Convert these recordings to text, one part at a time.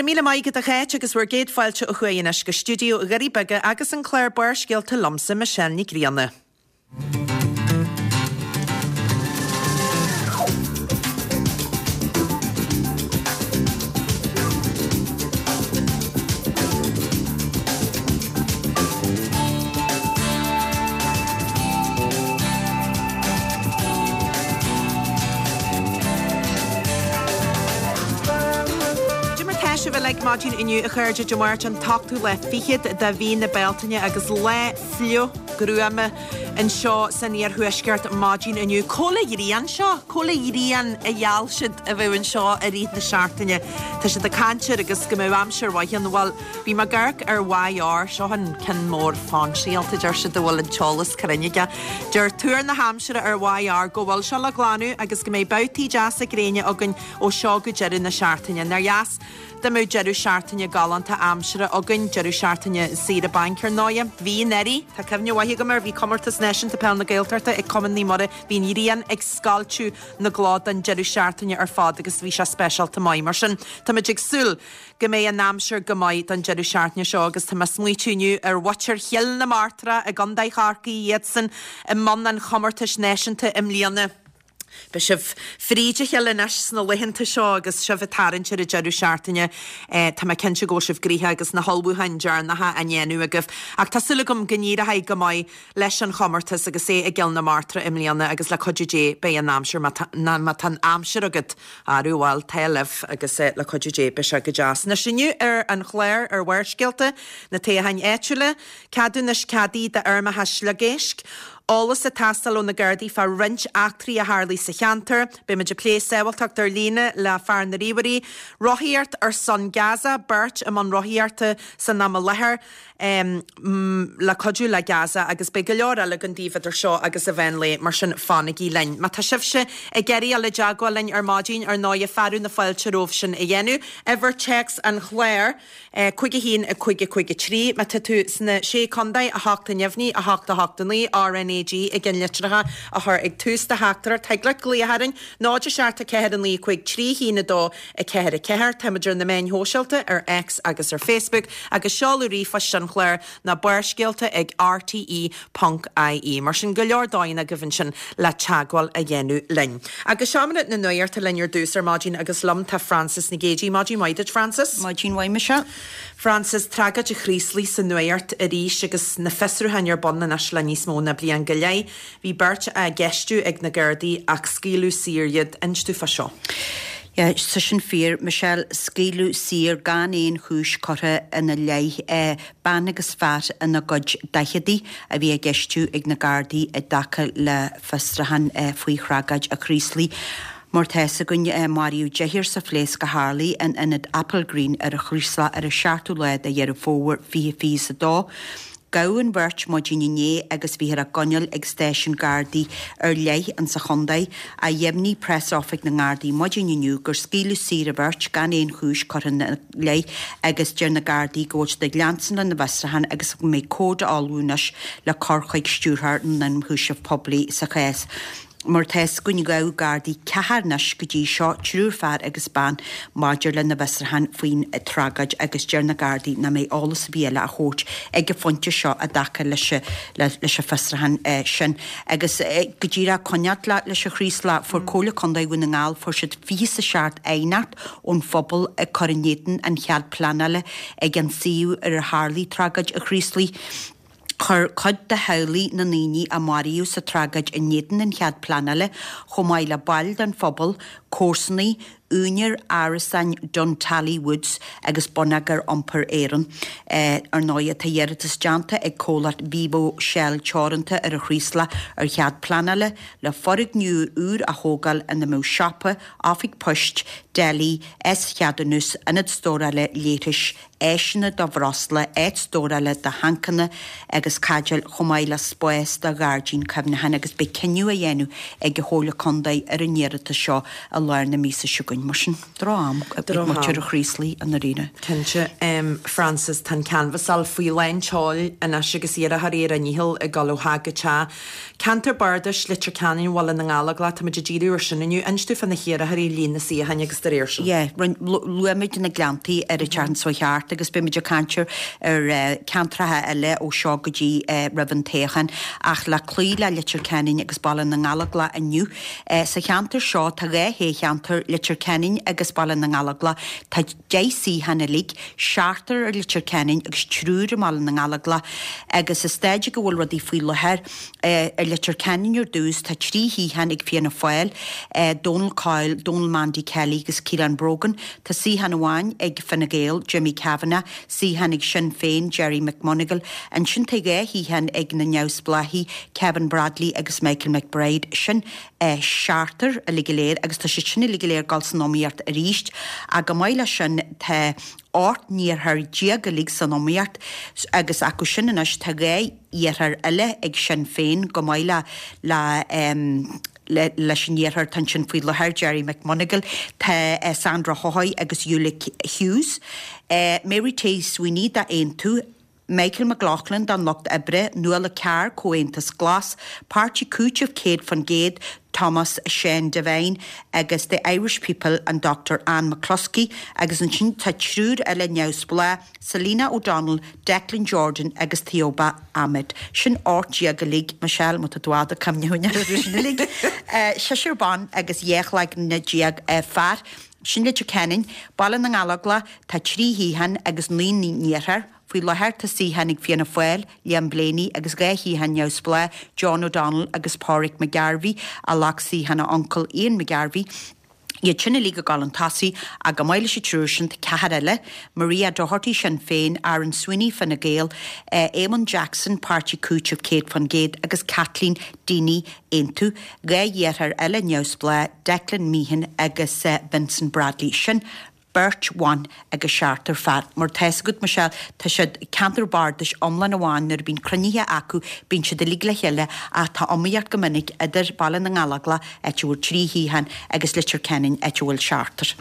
Go raibh míle maith agat a Cháit agus bhur gcéad fáilte ó thuaidh anois go stiúideo Dhoirí Beaga agus an clár Barrscéalta liomsa, Michelle Ní Grianna. Cad é mar tá sibh uilig maidin inniu a chairde Dé Máirt an t-ochtú lá fichead de mhí na Bealtaine agus lá fliuch gruama anseo san iarthuaisceart maidin inniu. Cá bhfuil an ghrian seo? Cá bhfuil an ghrian a gheall siad a bheadh anseo i rith na seachtaine? Tá siad ag caint air agus go mbeadh aimsir mhaith ann. Bhuel, bhí mé ag amharc ar YR, seo an ceann mór fáinsialta, deir siad a bhfuil an t-eolas cruinn aige. Deir tuar na haimsire ar YR go bhfuil seo le glanadh agus go mbeidh babhtaí deasa gréine againn ó seo go deireadh na seachtaine. Nár dheas Dá mbeadh deireadh seachtaine galánta aimsire againn, deireadh seachtaine saoire bainc ar ndóighe. Bhí anuraidh, tá cuimhne mhaith agam air, bhí Comórtas Náisiúnta Peil na Gaeltachta ag Cumann Naomh Muire, bhí an ghrian ag scoilteadh na gclog don deireadh seachtaine ar fad agus bhí sé speisialta maith. Mar sin, táimid ag súil go mbeidh an aimsir go maith don deireadh seachtaine seo agus tá mé ag smaoitiú inniu ar mhuintir Chill na Martra i gContae Chorcaí, iadsan i mbun an chomórtais náisiúnta i mbliana. Beidh sibh fríd a chéile anois sna laethanta seo agus sibh ag tarraingt ar an deireadh seachtaine. Tá mé cinnte go bhfuil sibh gnoitheach agus na hullmhúcháin deireanacha á ndéanamh agaibh. Ach tá súil agam go n-éireoidh go maith leis an chomórtas agus é i gCill na Martra i mbliana agus le cuidiú Dé beidh an aimsir, má tá an aimsir agat, arú bhuel, tá libh agus le cuidiú Dé beidh sé go deas. Anois inniu ar an chlár ar Bharrscéalta, na toghcháin áitiúla, ceadúnais ceadaithe d'fheirmeacha sliogéisc, Eolas ag teastáil ó na Gardaí fá roinnt eachtraí a tharlaigh sa cheantar. Beimid ag plé sábháilteacht ar líne le fear na ríomhairí. Rothaíocht ar son Gaza, beirt i mbun rothaíochta san am i láthair le cuidiú le Gaza agus beidh go leor eile againn daoibh idir seo agus an mheán lae, mar sin fanaigí linn. Má tá sibhse ag iarraidh dul i dteagmháil linn ar maidin, ar ndóighe, fearadh na fáilte romhaibh sin a dhéanamh. Uimhir téacs an chláir. 5 1 5 5 3 Má tá tú sna Sé Contae, 8 neamhní, 8 8 9, RnaG i gceannlitreacha a chur ag tús do theachtaireacht. Thig leat glaoch orainn, 0 7 4 9 5 3 1 2 4 4. Táimid ar na meáin shóisialta, ar X agus ar Facebook, agus seoladh ríomhphoist an chláir ná barrscéalta ag rte ponc ie. Mar sin, go leor dóigheanna agaibh ansin le teagmháil a dhéanamh linn. Agus seomra na nuachta linn ar dtús ar maidin agus liom tá Frances Nic Géadaigh. Maidin mhaith duit, Frances. Maidin mhaith, Michelle. Frances, tragóid an Chraoslaigh sa nuacht arís agus na fiosrúcháin ar bun anois le níos mó ná bliain go leith. Bhí beirt á gceistiú ag na Gardaí ach scaoileadh saor iad. Inis domh fá seo. Yeah, tá sin fíor, Michelle. Scaoileadh saor gan aon chúis curtha ina leith. Bean agus fear ina gcuid daicheadaí a bhí á gceistiú ag na Gardaí i dtaca le fiosrúchán faoi thragóid an Chraoslaigh. Mar tá fhios againn, maraíodh deichniúr sa phléasc a tharlaigh in ionad Applegreen ar an Chraoslach ar an seachtú lá de Dheireadh Fómhair 2022. Gabhadh an bheirt maidin inné agus bhíthear á gcoinneáil ag stáisiún Gardaí ar leith insa chontae. Ach dheimhnigh preas-oifig na nGardaí maidin inniu gur scaoileadh saor an bheirt gan aon chúis curtha ina leith agus deir na Gardaí go bhfuil siad ag leanstan lena bhfiosrúchán agus go mbeidh comhad á ullmhú anois le cur chuig Stiúrthóir na nIonchúiseamh Poiblí sa chás. Mar tá fhios againn ghabh Gardaí ceathrar anois go dtí seo, triúr fear agus bean, maidir le na bhfiosrúcháin faoin tragóid agus deir na Gardaí nach mbeidh eolas ar bith eile á thabhairt ag an phointe seo i dtaca leis leis an bhfiosrúchán sin. Agus go díreach coinneáil leis an Chraoslach, fuair Comhairle Contae Dhún na nGall, fuair siad 27 aighneacht ón phobal ag cur in éadan an chead pleanála ag an suíomh ar ar tharlaigh tragóid an Chraoslaigh. Chuir cuid de theaghlaigh na ndaoine a maraíodh sa tragóid in éadan an chead pleanála, chomh maith le baill den phobal, comharsanaigh, úinéir árasáin Duntally Woods agus Bonneagar Iompair Éireann. Ar ndóigh, tá iarratas déanta ag comhlacht Vivo Shell Teoranta ar an Chraoslach ar chead pleanála le foirgneamh úr a thógáil ina mbeadh siopa, oifig poist, deli, S-cheadúnas, ionad stórála leithris, áiseanna do bhreosla, áit stórála do thancanna agus caidéil chomh maith le spás do ghairdín cuimhneacháin agus beidh cinneadh á dhéanamh ag an Chomhairle Contae ar an iarratas seo i lár na míosa seo chugainn. amháin, mar sin, droch-am ag muintir an Chraoslaigh i ndáiríre. Cinnte. Frances, tá an canbhasáil faoi lán tseoil anois agus iarrthóirí ar a ndícheall ag dul ó theach go teach. Ceantar Bardais Leitir Ceanainn, Bhaile na nGallóglach, táimid ag díriú ar sin inniu. Inis dúinn fá na hiarrthóirí, líon na suíocháin agus dá réir sin. Yeah, luaigh muid na Gleanntaí ar an tseachtain seo thart agus beidh muid ag caint ar ceantracha eile ó seo go dtí roimh an toghchán ach le cloí le Leitir Ceanainn agus Baile na nGallóglach inniu. Sa cheantar seo tá 2 thoghcheantar, Leitir Ceanainn agus Baile na nGallóglach. Tá 10 suíochán uilig, seachtar ar Leitir Ceanainn agus triúr i mBaile na nGallóglach agus sa staid ag a bhfuil rudaí faoi láthair ar Leitir Ceanainn ar dtús tá 3 shuíochán ag Fianna Fáil, Donal Coyle, Donal Mandy Kelly agus Ciarán Brogan. Tá suíochán amháin ag Fine Gael, Jimmy Kavanagh, suíochán ag Sinn Féin, Gerry McMonagle. Ansin tá 2 shuíochán ag na neamhspleáchaigh, Kevin Bradley agus Michael McBride. Sin seachtar uilig go léir agus tá siad sin uilig go léir ag dul san iomaíocht arís. Ach chomh maith leis sin tá 18 n-iarrthóir uilig san iomaíocht agus acu sin anois tá 2 iarrthóir eile ag Sinn Féin chomh maith le le leis an iarrthóir atá ansin faoi láthair, Gerry McMonagle, tá Sandra Haughey agus Ulick Hughes, Mary T Sweeney d'Aontú, Michael McLaughlin don Lucht Oibre, Nuala Carr, Comhaontas Glas, Páirtí Cúitimh 100%, Thomas Shane Devine agus The Irish People an Dr Anne McCluskey agus ansin tá triúr eile neamhspleách, Selina O'Donnell, Declan Jordan agus Taioba Ahmed. Sin 18 uilig, Michelle, má tá tú ag cuimhneamh orthu sin uilig. Seisear ban agus 12 cloigne fear. Sin Leitir Ceanainn, Baile na nGallóglach, tá 3 shuíochán agus 9 n-iarrthóir. Faoi láthair tá suíochán ag Fianna Fáil, Liam Blaney, agus 2 shuíochán neamhspleách, John O'Donnell agus Pádraig McGarvey, a ghlac suíochán a uncail Ian McGarvey. Iad sin uilig ag dul chun tosaigh ach chomh maith leis an triúr sin tá ceathrar eile, Maria Doherty, Sinn Féin, Aaron Sweeney, Fine Gael, Eamon Jackson, Páirtí Cúitimh 100%, agus Kathleen Deeney, Aontú. 2 iarrthóir eile neamhspleách, Declan Meehan agus Vincent Bradley. Sin beirt bhan agus seachtar fear. Mar tá 'fhios agat, Michelle, tá siad ceantar bardais iomlán amháin nuair a bhíonn cruinnithe acu bíonn siad uilig le chéile ach tá iomaíocht go minic idir Baile na nGallóglach, áit a bhfuil 3 shuíochán, agus Leitir Ceanainn, áit a bhfuil seachtar.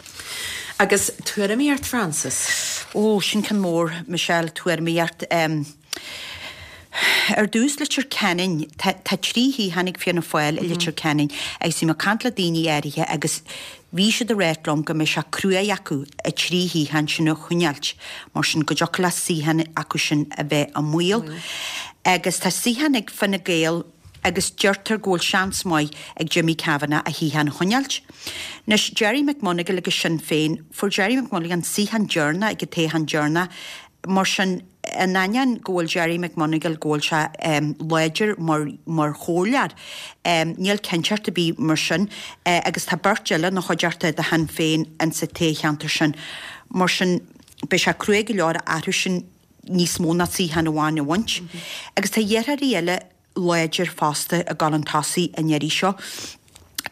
Agus tuairimíocht, Frances? Ó, sin ceann mór, Michelle, tuairimíocht. Ar dtús, Leitir Ceanainn, tá 3 shuíochán ag Fianna Fáil i Leitir Ceanainn agus bhí mé ag caint le daoine áirithe agus bhí siad ag ráit liom go mbeidh sé cruaidh acu a 3 shuíochán sin a choinneáilt, mar sin go dtiocfadh le suíochán acu sin a bheith i mbaol. Agus tá suíochán ag Fine Gael agus deirtear go bhfuil seans maith ag Jimmy Kavanagh a shuíochán a choinneáilt. Anois, Gerry McMonagle agus Sinn Féin, fuair Gerry McMonagle an suíochán deireanach ag an toghchán deireanach, Mar sin, in ainneoin go bhfuil Gerry McMonagle, go bhfuil sé láidir mar mar chomhairleoir, níl cinnteacht ar bith mar sin agus tá beirt eile ina chuideachta de Shinn Féin insa toghcheantar sin. Mar sin, beidh sé cruaidh go leor orthu sin níos mó ná suíochán amháin a bhaint. Agus tá iarrthóirí eile láidir fosta ag dul chun tosaigh an iarraidh seo.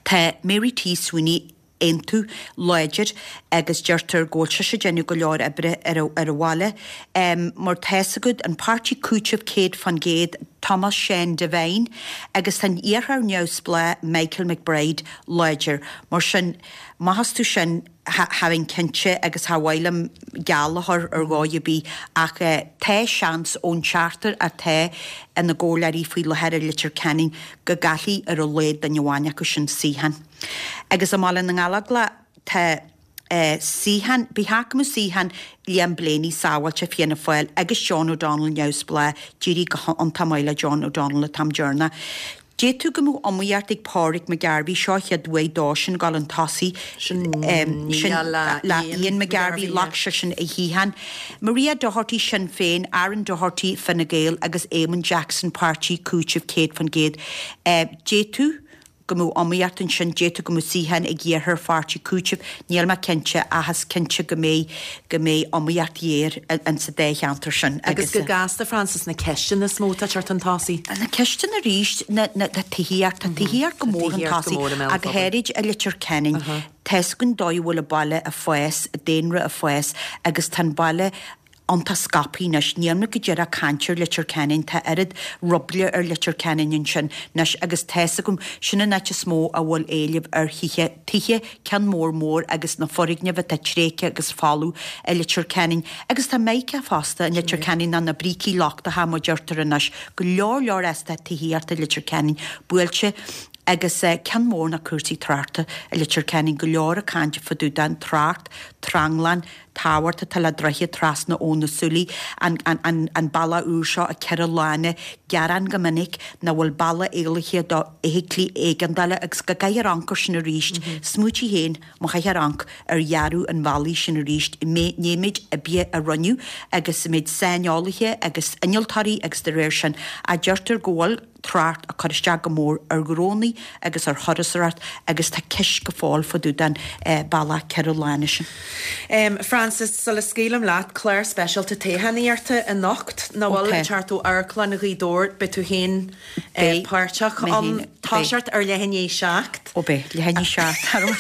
Tá Mary T Sweeney, Aontú, láidir agus deirtear go bhfuil sise ag déanamh go leor oibre ar an bhaile. Mar tá 'fhios agat, an páirtí Cúitimh 100%, Thomas Shane Devine, agus tá an iarrthóir neamhspleách Michael McBride láidir. Mar sin, maith astu sin, cha bheinn cinnte agus cha mhaith liom geall a chur ar dhóigh ar bith ach tá seans ón seachtar atá ina gcomhairleoirí faoi láthair i Leitir Ceanainn go gcaillfidh ar a laghad duine amháin acu sin suíochán. Agus i mBaile na nGallóglach tá suíochán, b'fhéidir go mbeadh suíochán Liam Blaney sábháilte, Fianna Fáil, agus John O'Donnell neamhspleách, d'éirigh go hiontach maith le John O'Donnell an t-am deireanach. D'fhéadfadh go mbeadh iomaíocht ag Pádraig McGarvey, seo a chéad bhuaidh dó sin dul chun tosaigh, Sin nia le Ian McGarvey, ghlac seisean a shuíochán. Maria Doherty, Sinn Féin, Aaron Doherty, Fine Gael, agus Eamon Jackson, Páirtí Cúitimh 100%. D'fhéadfadh. go mbeadh iomaíocht ansin, d'fhéadfadh go mbeadh suíochán ag iarrthóir Pháirtí Cúitimh, níl mé cinnte ach is cinnte go mbeidh, go mbeidh iomaíocht ghéar in sa dá cheantar sin Agus go gasta, Frances, na ceisteanna is mó atá ag teacht chun tosaigh? Na ceisteanna arís, na, na, na tithíocht, tá tithíocht go mór chun tosaigh ach go háirid i Leitir Ceanainn. Tá 'fhios againn dóigh a bhfuil an baile ag fás, daonra ag fás agus tá an baile. Iontach scaipthe anois. Níl muid go díreach ag caint ar Leitir Ceanainn, tá oiread ruble ar Leitir Ceanainn ansin anois agus tá's agam, sin an áit is mó a bhfuil éileamh ar thithe, tithe, ceann mór mór agus na foirgnimh atá tréigthe agus folamh i Leitir Ceanainn. Agus tá Meiriceá fosta i Leitir Ceanainn ná na brící lochtacha mar deirtear anois, go leor leor eastát tithíochta i Leitir Ceanainn buailte agus ceann mór ná cúrsaí tráchta i Leitir Ceanainn, go leor ag caint fá dtaobh den trácht, tranglam, tábhachtach atá le droichead trasna Abhainn na Súilí, an bealach úr seo a 4 lána, gearán go minic nach bhfuil bealach éalaithe do fheithiclí éigeandála agus go gcaithfear amharc air sin arís. Smaoitigh féin má chaithfear amharc ar dhearadh an bhealaigh sin arís, méid oibre a rinneadh agus méid saineolaithe agus innealtóirí agus de réir sin a deirtear go bhfuil trácht ag cur isteach go mór ar ghnónnaí agus ar thurasóireacht agus tá ceist go fóill fá dtaobh den bealach 4 lána sin. Frances, sula scaoilim leat, clár speisialta toghchánaíochta anocht, nach bhfuil, ag teacht ó Amharclann Ghaoth Dobhair, beidh tú féin páirteach ann, toiseacht ar leath i ndiaidh 7. Ó beidh, leath i ndiaidh 7.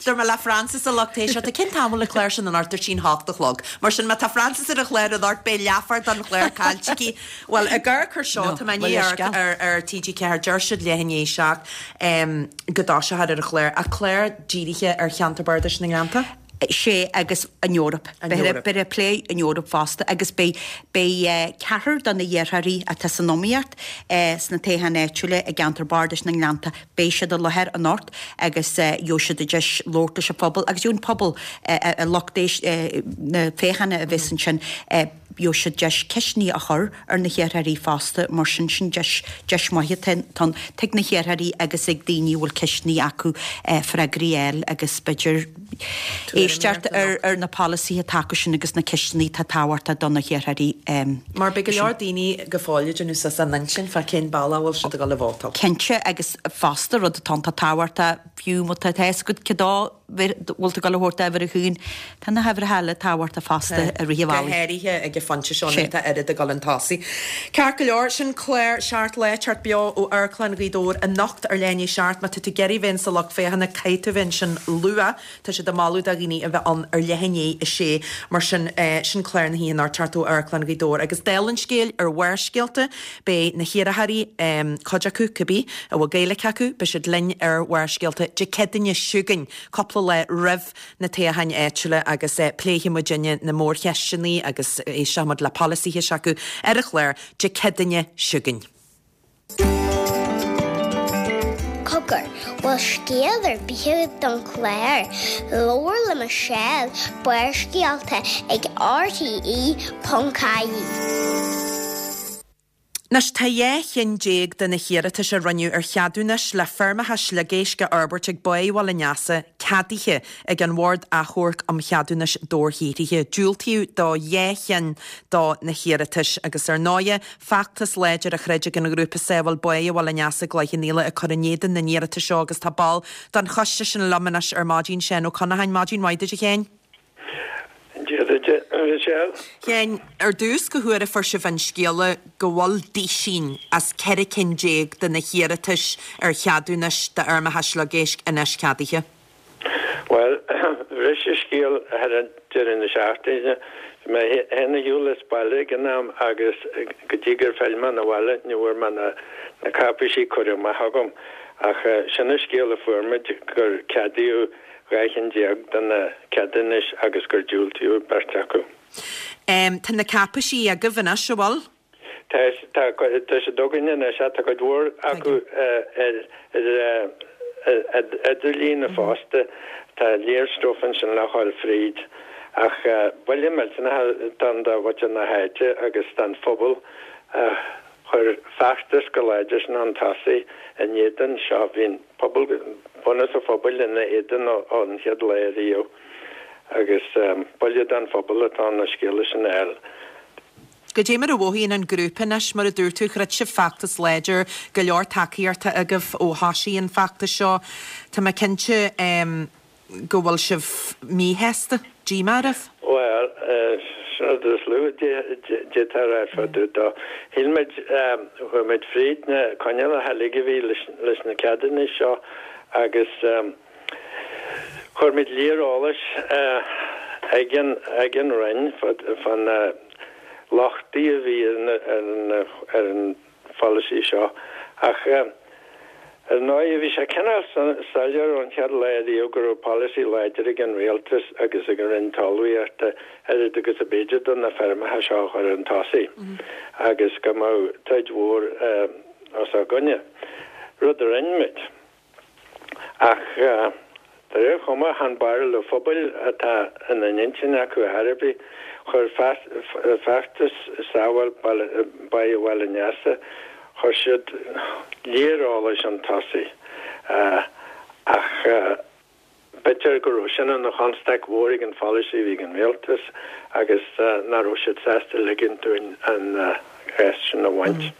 Dúirt mé le Frances a lucht éisteachta, cén t-am a bhfuil an clár sin anocht? Dúirt sí an hocht a chlog. Mar sin má tá Frances ar an chlár anocht beidh leathuair den chlár caillte aici. Bhuel, ag amharc air seo, tá mé i ndiaidh amharc ar ar TG4, deir siad leath i ndiaidh 7 go dtoiseofar ar an chlár, ach clár dírithe ar cheantar bardais na nGleannta? Sea, agus an Eoraip. An Eoraip. Beidh ag plé an Eoraip fosta agus beidh beidh ceathrar de na hiarrthóirí atá san iomaíocht sna toghcháin áitiúla i gceantar bardais na nGleannta, beidh siad i láthair anocht agus gheobhaidh siad an deis labhairt leis an phobal agus gheobhaidh an pobal, lucht na féachana a bheas ansin, Gheobhaidh siad deis ceisteanna a chur ar na hiarrthóirí fosta, mar sin, sin deis, deis mhaith atá ann ag na hiarrthóirí agus ag daoine a bhfuil ceisteanna acu freagraí a fháil agus b'fhéidir éisteacht ar ar na polasaithe atá acu sin agus na ceisteanna atá tábhachtach do na hiarrthóirí. Mar beidh go leor daoine go fóill ag déanamh suas a n-intinn fá cén bealach a bhfuil siad ag dul a vótáil. Cinnte, agus fosta rud atá iontach tábhachtach, fiú má tá a fhios agat cé dó bhfuil tú ag dul a thabhairt d'uimhir a haon. Tá na huimhreacha eile tábhachtach fosta i rith an bhealaigh. Go háirithe ag an phointe seo nuair atá oiread ag dul chun tosaigh. Ceart go leor, sin clár Seacht Lá, teacht beo ó Amharclann Ghaoth Dobhair anocht ar leath i ndiaidh 7. Má tá tú ag iarraidh bheith insa lucht féachana, caithfidh tú bheith ansin luath. Tá siad ag moladh do dhaoine a bheith ann ar leath i ndiaidh 6. Mar sin, sin clár na hoíche anocht teacht ó Amharclann Ghaoth Dobhair. Agus dála an scéil ar Bharrscéalta, Beidh na hiarrthóirí, cuid acu, cibé, a bhfuil Gaeilge acu, beidh siad linn ar Bharrscéalta Dé Céadaoine chugainn, cúpla lá roimh na toghcháin áitiúla agus pléifidh muidinne na mórcheisteanna agus éistfidh muid le polasaithe s'acu ar an chlár Dé Céadaoine chugainn. Cogar, bhfuil scéal ar bith agat don chlár? Labhair le Michelle, Barrscéalta ag RTÉ.ie. Anois, tá 12 chinn de na hiarratais a rinneadh ar cheadúnais le feirmeacha sliogéisc a fhorbairt ag Báigh Bhaile an Easa ceadaithe ag an Bhord Achomhairc um Cheadúnais Dobharshaothraithe. Diúltaíodh do 2 chinn do na hiarratais agus, ar ndóighe, feachtas láidir a throid ag an ghrúpa Sábháil Báighe Bhaile an Easa i gCloich Cheann Fhaola ag cur in éadan na n-iarratas seo agus tá ball den choiste sin liom anois ar maidin, Seán Ó Conacháin. Maidin mhaith duit a Sheáin. Dia duit a Mhichelle. Sheáin, ar dtús cá huair a fuair sibh an scéala go bhfuil duisín as 14 cinn de na hiarratais ar cheadúnais d'fheirmeacha sliogéisc anois ceadaithe? Bhuel, bhris an scéal thar an deireadh na seachtaine. Bhí mé féin ar shiúl as baile ag an am agus go dtí gur phill mé 'na bhaile ní bhfuair mé na na cáipéisí curtha amach agam. Ach sin an scéal a fuair muid, gur ceadaíodh 12 chinn de na ceadúnais agus gur diúltaíodh beirt acu. Tá na cáipéisí agaibh anois, an bhfuil? Tá, tá, tá siad againn anois, tá cuid mhór acu ar ar idirlíon fosta, tá léar stuif ansin le dhul fríd. Ach buille millteanach atá ann do mhuintir na háite agus don phobal a chuir feachtas go láidir sin chun tosaigh in éadan seo. Bhí an pobal, bunús an phobail ina éadan ón chéad lá ariamh agus buille don phobal atá ann an scéala sin a fháil. Goidé mar a mhothaíonn an grúpa anois? Mar a dúirt tú, throid sibh feachtas láidir, go leor tacaíochta agaibh ó thosaigh an feachtas seo. Tá mé cinnte go bhfuil sibh míshásta, díomá oraibh? Bhuel, sin an rud is lú a d'fhéadfá a rá fá dtaobh dó. Shíl muid, chuaigh muid fríd na coinníollacha uilig a bhí leis na ceadúnais seo agus chuir muid léar eolais ag an Roinn fá na. lochtaí a bhí ar an pholasaí seo ach ar ndóigh bhí sé cineál soiléir ón chéad lá ariamh go raibh polasaí láidir ag an Rialtas agus ag an Roinn Talmhaíochta oiread agus ab fhéidir de na feirmeacha seo a chur chun tosaigh agus go mbeadh troid mhór os ár gcoinne, rud a rinne muid. Ach de réir chuma, chan barúil an phobail atá ina n-intinn acu ar chor ar bith. Chuir feachtas Sábháil Báigh Bhaile an Easa, chuir siad léar eolais chun tosaigh. Ach b'fhéidir go raibh sin ina chonstaic mhór ag an pholasaí a bhí ag an rialtas agus nach raibh siad sásta ligint dúinn an cheist sin a bhaint.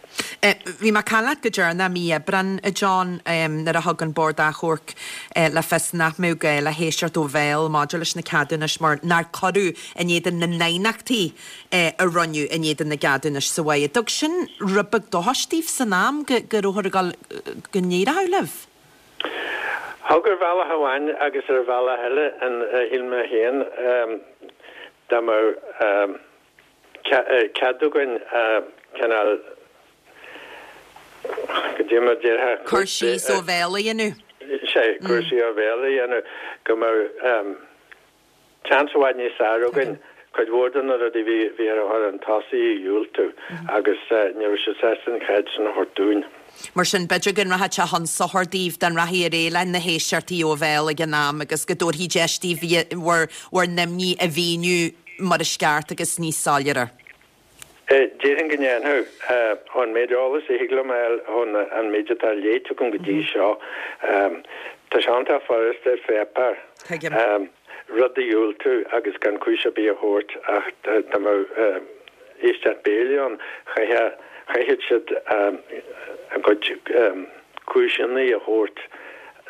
Bhí mé ag caint leat go deireanach mí Aibreáin, a John, nuair a thug an Bord Achomhairc le fios nach mbeadh gá le héisteacht ó bhéal maidir leis na ceadúnais mar nár cuireadh in éadan na n-aighneachtaí a rinneadh in éadan na gceadúnais sa bhaile. An dtug sin rud beag dóchais daoibh san am go rabhthar ag dul go n-éireodh libh? Thug ar bhealach amháin agus ar bhealach eile, shíl mé féin, dá mbeadh cead againn cineál, cad é mar a déarfá. Cur síos ó bhéal a dhéanamh. Sea, cur síos ó bhéal a dhéanamh, go mbeadh seans i bhfad níos fearr againn cuid mhór de na rudaí a bhí á gcur chun tosaigh a dhiúltú agus ní raibh siad sásta an chead sin a thabhairt dúinn. Mar sin, b'fhéidir go rachadh sé chun sochair daoibh dá ndeachaigh ar aghaidh leis na héisteachtaí ó bhéal ag an am agus go dtabharfaí deis daoibh bhur bhur n-imní a mhíniú mar is ceart agus níos soiléire. Déarfainn go ndéanfadh. Ón méid eolais a thig liom a fháil ón an méid atá léite agam go dtí seo, tá sé iontach furasta ar pháipéar rud a dhiúltú agus gan cúis ar bith a thabhairt ach dá mbeadh éisteacht béil ann, chaithfeadh siad a gcuid cúiseanna a thabhairt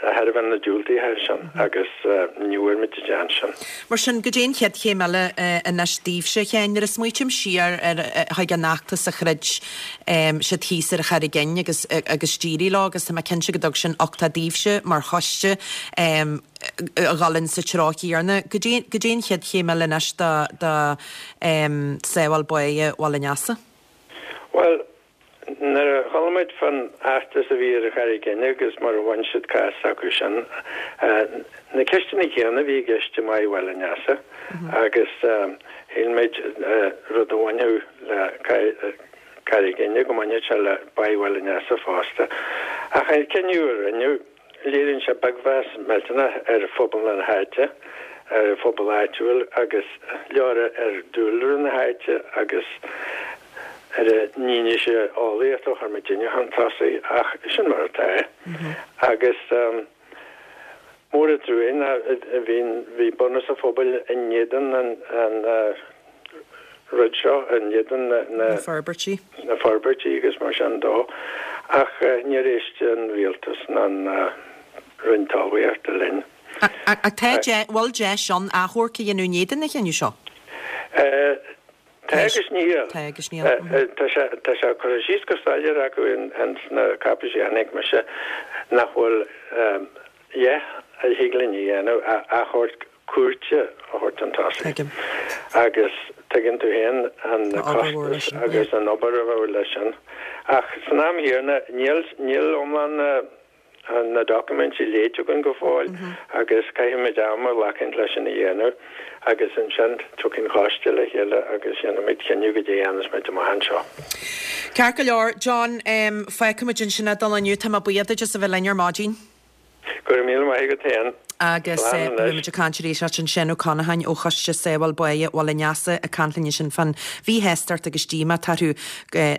de thairbhe na diúltaithe sin agus ní bhfuair muid an seans sin. Mar sin, goidé an chéad chéim eile anois daoibhse, a Sheáin? Nuair a smaoitím siar ar chuig an fheachtas a throid siad thíos ar an Charraig Fhinn agus agus d'éirigh leo agus tá mé cinnte go dtug sin uchtach daoibhse mar choiste a dhul in sa treo chéanna. Goidé goidé an chéad chéim eile anois do do Sábháil Báighe Bhaile an Easa? Bhuel, Nuair a chuala muid fán fheachtas a bhí ar an Charraig Fhinn agus mar a bhain siad cás s'acu sin, na ceisteanna céanna a bhí i gceist i mBáigh Bhaile an Easa agus shíl muid rud a bhainfeadh le Carraig Fhinn go mbainfeadh sé le Báigh Bhaile an Easa fosta. Ach an cinneadh a rinneadh, Léiríonn sé beagmheas millteanach ar phobal na háite, ar an phobal áitiúil agus leora ar dúlra na háite agus ar an fhianaise eolaíochta a chuir muidinne chun tosaigh ach sin mar atá é. Agus mór an trua ná bhí bhí bunús an phobail in éadan an rud seo, in éadan na forbairtí. na forbairtí agus mar sin dó, ach níor éist an rialtas ná an Roinn Talmhaíochta linn. Ach tá deis, bhfuil deis ann achomharc a dhéanamh in éadan an chinnidh seo? Tá agus níl. Tá agus níl. Tá sé, tá sé curtha síos go soiléir acu ins na cáipéisí a chonaic mise nach bhfuil a dhath a thig linn a dhéanamh ach achomharc cúirte a thabhairt chun tosaigh. Tuigim. Agus tuigeann tú féin an Tá obair mhór leis costas sin, agus yeah. an obair a bheadh leis sin. Ach san am chéanna, níl, níl iomlán na, na doiciméidí léite againn go fóill agus caithfimid am a ghlacaint leis sin a dhéanamh agus ansin tiocfaidh an coiste le chéile agus déanfaimid cinneadh goidé a dhéanfas muid amach anseo. Ceart go leor, John, fágfaimid ansin é don lá inniu. Tá mé buíoch duit as a bheith linn ar maidin. Go raibh míle maith agat féin. Agus Slán beidh anois. muid ag caint arís leat ansin, Seán Ó Conacháin ó Choiste Sábháil Báighe Bhaile an Easa ag caint linn ansin fán mhíshástacht agus díomá atá orthu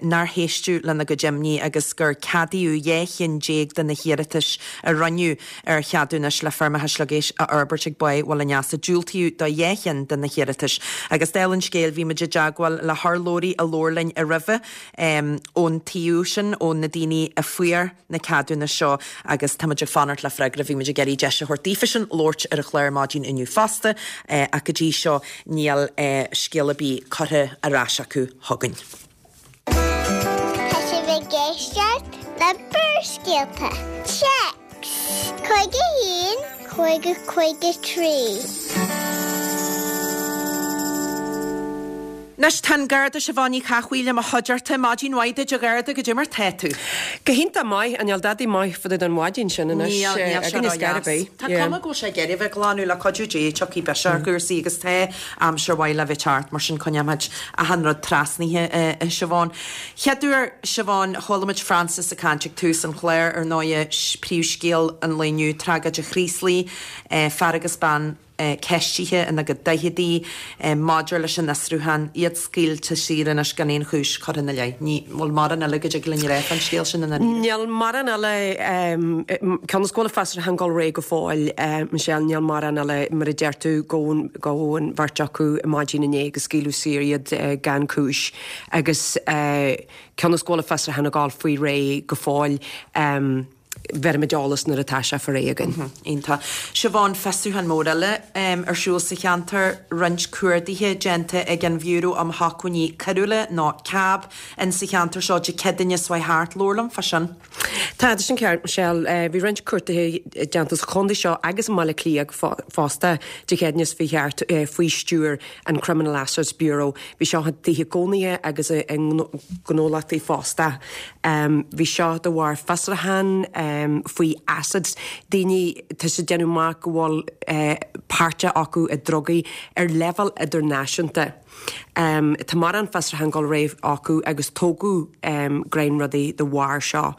nár héisteadh lena gcuid imní agus gur ceadaíodh 12 chinn de na hiarratais a rinneadh ar cheadúnais le feirmeacha sliogéisc a fhorbairt ag Báigh Bhaile an Easa. Diúltaíodh do 2 chinn de na hiarratais. Agus dála an scéil bhí muid i dteagmháil le hurlabhraí a labhair linn roimhe ón taobh sin, ó na daoine a fuair na ceadúnais seo agus tá muid ag fanacht le freagra. Bhí muid ag iarraidh deis a thabhairt daofasan labhairt ar an chlár maidin inniu fosta ach go dtí seo níl scéal ar bith curtha ar ais acu chugainn. Tá sibh ag éisteacht le Barrscéalta. Téacs 51 50 53. Anois tá an Garda Siobhán Ní Chathmhaoil i mo chuideachta. Maidin mhaith duit a Gharda, goidé mar tá tú? Go hiontach maith, an níl dadaí maith fá dtaobh den mhaidin sin anois? Níl, níl sé ró-dheas. Tá cuma go bhfuil sé ag iarraidh a bheith ag glanadh le cuidiú Dé, tiocfaidh biseach ar chúrsaí agus tá aimsir mhaith le bheith thart, mar sin coinneoimid achan rud trasnaithe, a Siobhán. Chéad uair, Siobhán, chuala muid Frances ag caint ag tús an chláir, ar ndóighe, príomhscéal an lae inniu, tragóid an Chraoslaigh, fear agus bean, ceistithe ina gcuid daicheadaí maidir leis an fhiosrúchán, iad scaoilte saor anois gan aon chúis curtha ina leith. Ní bhfuil mórán eile go dtig linn a rá fán scéal sin i ndáiríre. Níl mórán eile, cionn is go bhfuil an fiosrúchán ag dul ar aghaidh go fóill, Michelle, níl mórán eile, mar a deir tú, gabhadh an bheirt acu maidin inné agus scaoileadh saor iad gan cúis agus cionn is go bhfuil an fiosrúchán ag dul faoi réir go fóill. Bhéarfaimid eolas nuair atá sé fá réidh againn. Iontach. Siobhán, fiosrúchán mór eile ar siúl sa cheantar, roinnt cuardaithe déanta ag an Bhiúró um Shócmhainní Coiriúla, nó cab, in sa cheantar seo Dé Céadaoine seo chuaigh thart. Labhair liom fá sin. Tá, tá sin ceart, Michelle. Bhí roinnt cuardaithe déanta sa chontae seo agus i mBaile Átha Cliath fosta Dé Céadaoine seo chuaigh thart faoi stiúir an Criminal Assets Bureau. Bhí seo i dtithe cónaithe agus i ngnólachtaí fosta. Bhí seo de bharr fiosrúchán faoi assets, daoine, tá sé ag déanamh amach go bhfuil páirt acu i drugaí ar leibhéal idirnáisiúnta. Tá mórán fiosrúchán ag dul ar aghaidh acu agus tógadh greim rudaí de bharr seo.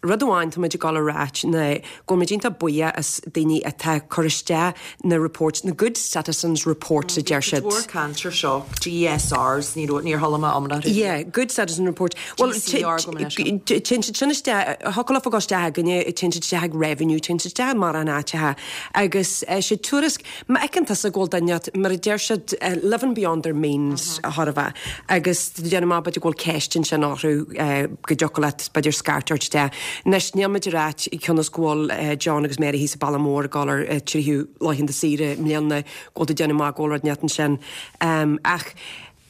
Rud amháin tá muid ag dul a ráit ná go bhfuil muid iontach buíoch as daoine atá ag cur isteach na reports, na good citizens reports a deir siad. Bhí cuid mhór caint ar seo, GSRs, ní raibh, níor chuala mé iomrá orthu. Yeah, good citizen report. Bhuel, GCR gabh mo leithscéal. téann siad sin isteach, thiocfadh leofa dul isteach againne, téann siad isteach ag Revenue, téann siad isteach i mórán áiteacha agus sé tuairisc, Má fheiceann tusa go bhfuil duine inteacht, mar a deir siad, living beyond their means chóir a bheith, agus déanaim amach b'fhéidir go bhfuil ceist ansin orthu go dtiocfadh leat b'fhéidir scairt a thabhairt de. Anois, níl muid ag ráit cionn is go bhfuil John agus Mary thíos i Baile Mór ag dul ar tríú laethanta saoire i mbliana go bhfuil tú ag déanamh amach go bhfuil rud inteacht ansin. Ach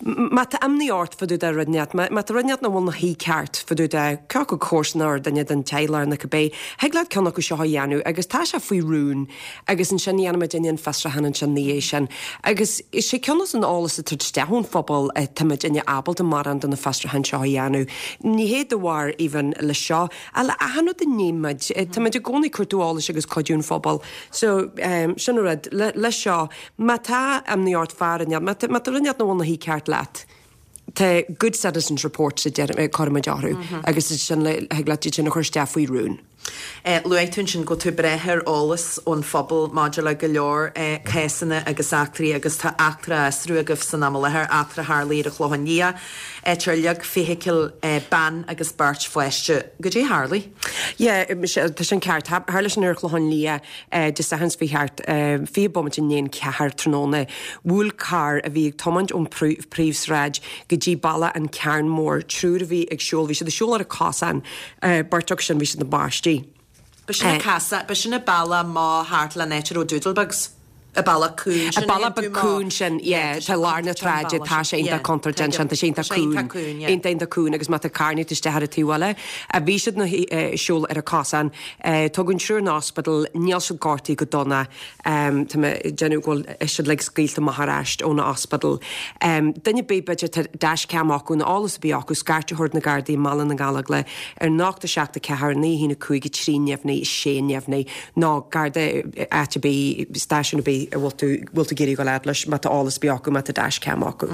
Má tá imní ort fá dtaobh de rud inteacht, má tá rud inteacht nach bhfuil 'na shuí ceart fá dtaobh de cé acu comharsana nó duine den teaghlach nó cibé, thig leat ceann acu seo a dhéanamh agus tá sé faoi rún agus ansin dhéanfaidh muidinne an fiosrúchán ansin 'na dhiaidh sin. Agus is é cionn is an eolas atá ag teacht isteach ón phobal tá muidinne ábalta mórán de na fiosrúcháin seo a dhéanamh. Ní hé de bharr even le seo, ach le achan rud a níonn muid, tá muid i gcónaí ag cuartú eolais agus cuidiú an phobail. So, sin an rud. Le seo, Má tá imní ort fá rud inteacht, má tá rud inteacht nach bhfuil 'na shuí ceart leat, tá good citizens reports a deir, cuirimid orthu agus sin le, thig leat iad sin a chur isteach faoi rún. Luaigh tú ansin go bhfuil tú ag brath ar eolas ón phobal maidir le go leor cásanna agus eachtraí agus tá eachtra á fhiosrú agaibh san am i láthair, eachtra a tharlaigh ar an Chlochán Liath, áit ar leag feithicil bean agus beirt pháiste. Goidé a tharlaigh? Yeah, tá sin ceart. Tharla sin ar an Chlochán Liath. Dé Sathairn seo chuaigh thart, 20 bomaite i ndiaidh an cheathair tráthnóna, bhuail carr a bhí ag tiomáint ón phríomhshráid go dtí bealach an Cearn Mór, triúr a bhí ag siúl, bhí siad ag siúl ar an cosán, beirt acu sin, bhí siad ina bpáistí. B'shin an casadh, b'shin an bealach amach thart leis an áit a raibh Doodlebugs. An bealach cúng sin. An bealach beag cúng sin, yeah, tá lár na sráide, tá sé iontach contúirteach ansin, tá sé iontach cúng, iontach iontach cúng agus má tá carr ag teacht isteach ar an taobh eile, bhí siad ina siúl ar an cosán, Tugadh an triúr 'na ospidéal, níl siad gortaithe go dona. Tá mé ag déanamh go bhfuil siad uilig scaoilte amach ar ais ón ospidéal. Duine ar bith, b'fhéidir, tá dashcam acu nó eolas ar bith acu, scairt a thabhairt na Gardaí i mBaile na Gallóglach ar 0 7 4 9 1 5 3 neamhní 6 neamhní nó Garda áit ar bith, stáisiún ar bith a bhfuil tú, bhfuil tú ag iarraidh a ghabháil fhad leis má tá eolas ar bith acu, má tá dashcam acu.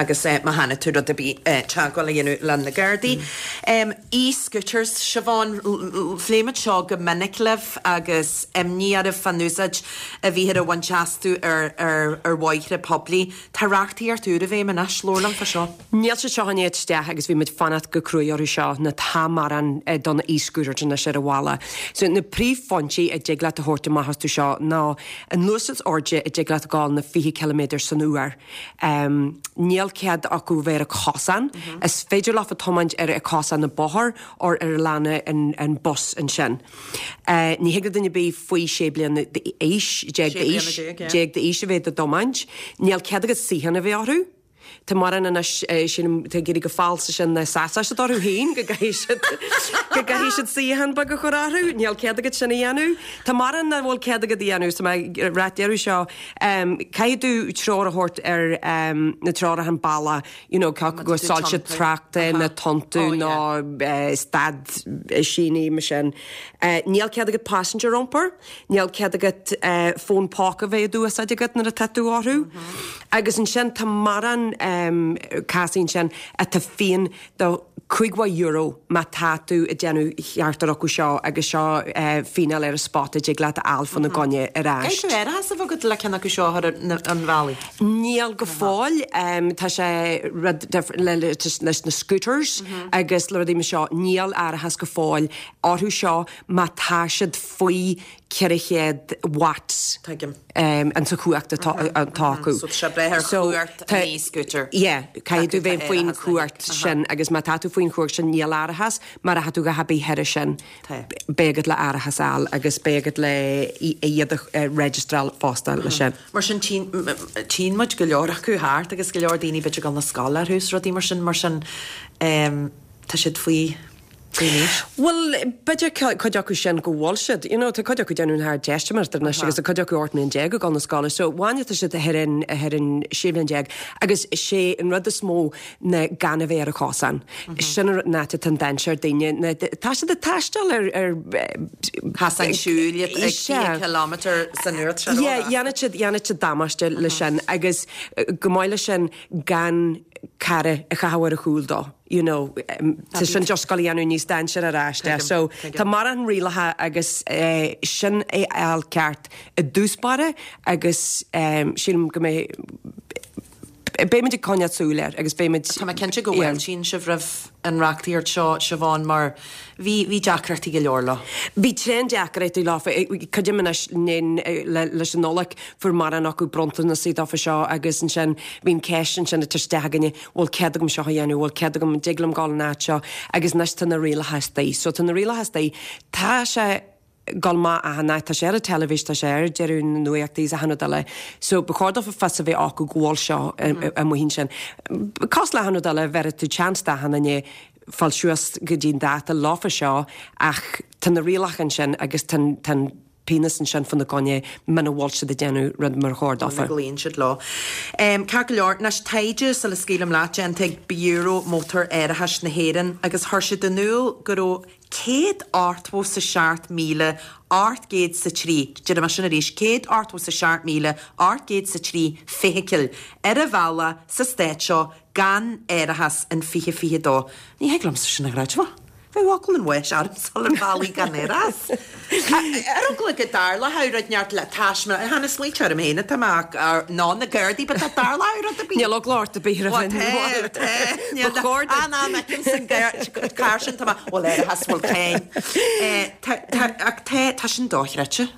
Agus má chonaic tú rud ar bith, teagmháil a dhéanamh le na Gardaí. E-scooters, Siobhán, phléigh muid seo go minic libh agus imní oraibh fán úsáid a bhíthear a bhaint astu ar ar bhóithre poiblí. Tá reachtaíocht úr i bhfeidhm anois, labhair liom fá seo. Níl siad seo i ndiaidh teacht isteach agus bhí muid fanacht go cruaidh orthu seo nó tá mórán do na e-scooters anois ar an bhaile. So na príomhphointí a dtig leat a thabhairt amach astu seo ná an luas is airde a dtig leat a ghabháil ná 20 ciliméadar san uair. Níl cead acu bheith ar an cosán. Is féidir leofa tiomáint ar an cosán na bóthar or ar lána an bus ansin. Ní thig le duine ar bith faoi 16 bliana d'aois, déag d'aois a bheith dá dtiomáint. Níl cead agat suíochán a bheith orthu. Tá mórán anois, sílim, atá ag éirí chomh falsa sin ná sásóidh siad orthu féin go gcaithfidh siad, go gcaithfidh siad suíochán beag a chur orthu. Níl cead agat sin a dhéanamh. Tá mórán nach bhfuil cead agat a dhéanamh so mé ag rá deireadh seo, caithfidh tú treoir a thabhairt ar na treoracha an bealach, you know, cé acu go soilse tráchta nó tontú nó stad síní mar sin. Níl cead agat passenger a iompar. Níl cead agat fón póca a bheith á úsáid agat nuair atá tú orthu. Agus ansin tá mórán cásaí ansin atá fíon do €50 má tá tú ag déanamh ceachtar acu seo agus seo fíneáil ar an spota a dtig leat a fháil fána gcoinne ar ais. Caithfidh tú árachas a bheith agat le ceann acu seo a chur ar an bhealaigh? Níl go fóill. Tá sé rud leis na scooters agus le rudaí mar seo, níl árachas go fóill orthu seo má tá siad faoi 400 watts Tuigim. an sa chumhacht atá acu. So tá sé ag brath ar chumhacht an e-scooter. Yeah, caithfidh tú bheith faoin chumhacht sin agus má tá tú faoin chumhacht sin níl árachas, má tá tú a dhath ar bith thairis sin beidh agat le árachas a fháil agus beidh agat le iad a registráil fosta leis sin. Mar sin tchíonn muid go leor acu thart agus go leor daoine b'fhéidir ag dul na scoile orthu is rudaí mar sin, mar sin tá siad faoi faoin aois. Bhuel, b'fhéidir cuid acu sin go bhfuil siad, you know, tá cuid acu ag déanamh na hArdteistiméireachta anois agus tá cuid acu 18 mbliana ag dul na scoile, so bhain tá siad thar an, thar an 16 bhliain agus sé an rud is mó ná gan a bheith ar an chosán. Sin an áit atá an dainséar daoine, ná tá siad ag taisteal ar, ar. Casáin siúil ag 20 kilometre san uair, tá sé róghasta. Yeah, dhéanfaidh siad, dhéanfaidh siad damáiste leis sin agus go maith leis sin gan cara a chaitheamh ar a chúl dó. you know, tá sin just ag gabháil a dhéanamh níos dainséar ar ais de. So tá mórán rialacha agus sin é a fháil ceart i dtús báire agus sílim go mbeidh, beimid ag coinneáil súil air agus beimid. Tá mé cinnte go bhfáiltíonn sibh roimh an reachtaíocht seo, Siobhán, mar bhí, bhí deacrachtaí go leor leo. Bhí tréan deacrachtaí leo. Creidim anois leis an Nollaig fuair mórán acu bronntanasaí dófa seo agus ansin bhí an ceist ansin ag teacht isteach againne, bhfuil cead agam seo a dhéanamh, bhfuil cead agam, an dtig liom dul an áit seo agus anois tá na rialacha istigh. So tá na rialacha istigh. Tá sé ag dul amach achan áit, tá sé ar an teilifís, tá sé ar deireadh na nuachtaí is achan rud eile. So ba chóir dófa fios a bheith acu go bhfuil seo amuigh ansin. Cosúil le achan rud eile, bhéarfaidh tú chance d'achan duine fáil suas go dtí an dáta leofa seo ach tá na rialacha ansin agus tá an pionós ansin fána gcoinne muna bhfuil siad ag déanamh rud mar chóir dófa. Muna gcloíonn siad leo. Ceart go leor, anois taighde sula scaoilim leat déanta ag Biúró Mótar-Árachais na hÉireann agus chuir siad in iúl go raibh 187,803, déarfaidh mé sin arís, 187,803 feithicil ar an bhealach sa stát seo gan árachas in 2022. Ní thig liomsa sin a chreidbheáil. Bheadh eagla an bháis ormsa ar an bhealaigh gan árachas. Ar eagla go dtarlódh rud inteacht le taisme, chan ag smaointiú orm féin atá mé ach ná na Gardaí, but dá dtarlódh rud ar bith. Níl eagla ort ar bith roimh an Bhuel, tá, tá. Níl Ba chóir duit. An am fheicim san carr sin, tá mé, bhfuil árachas, bhfuil cáin. Tá, tá, ach tá, tá sin dochreidte.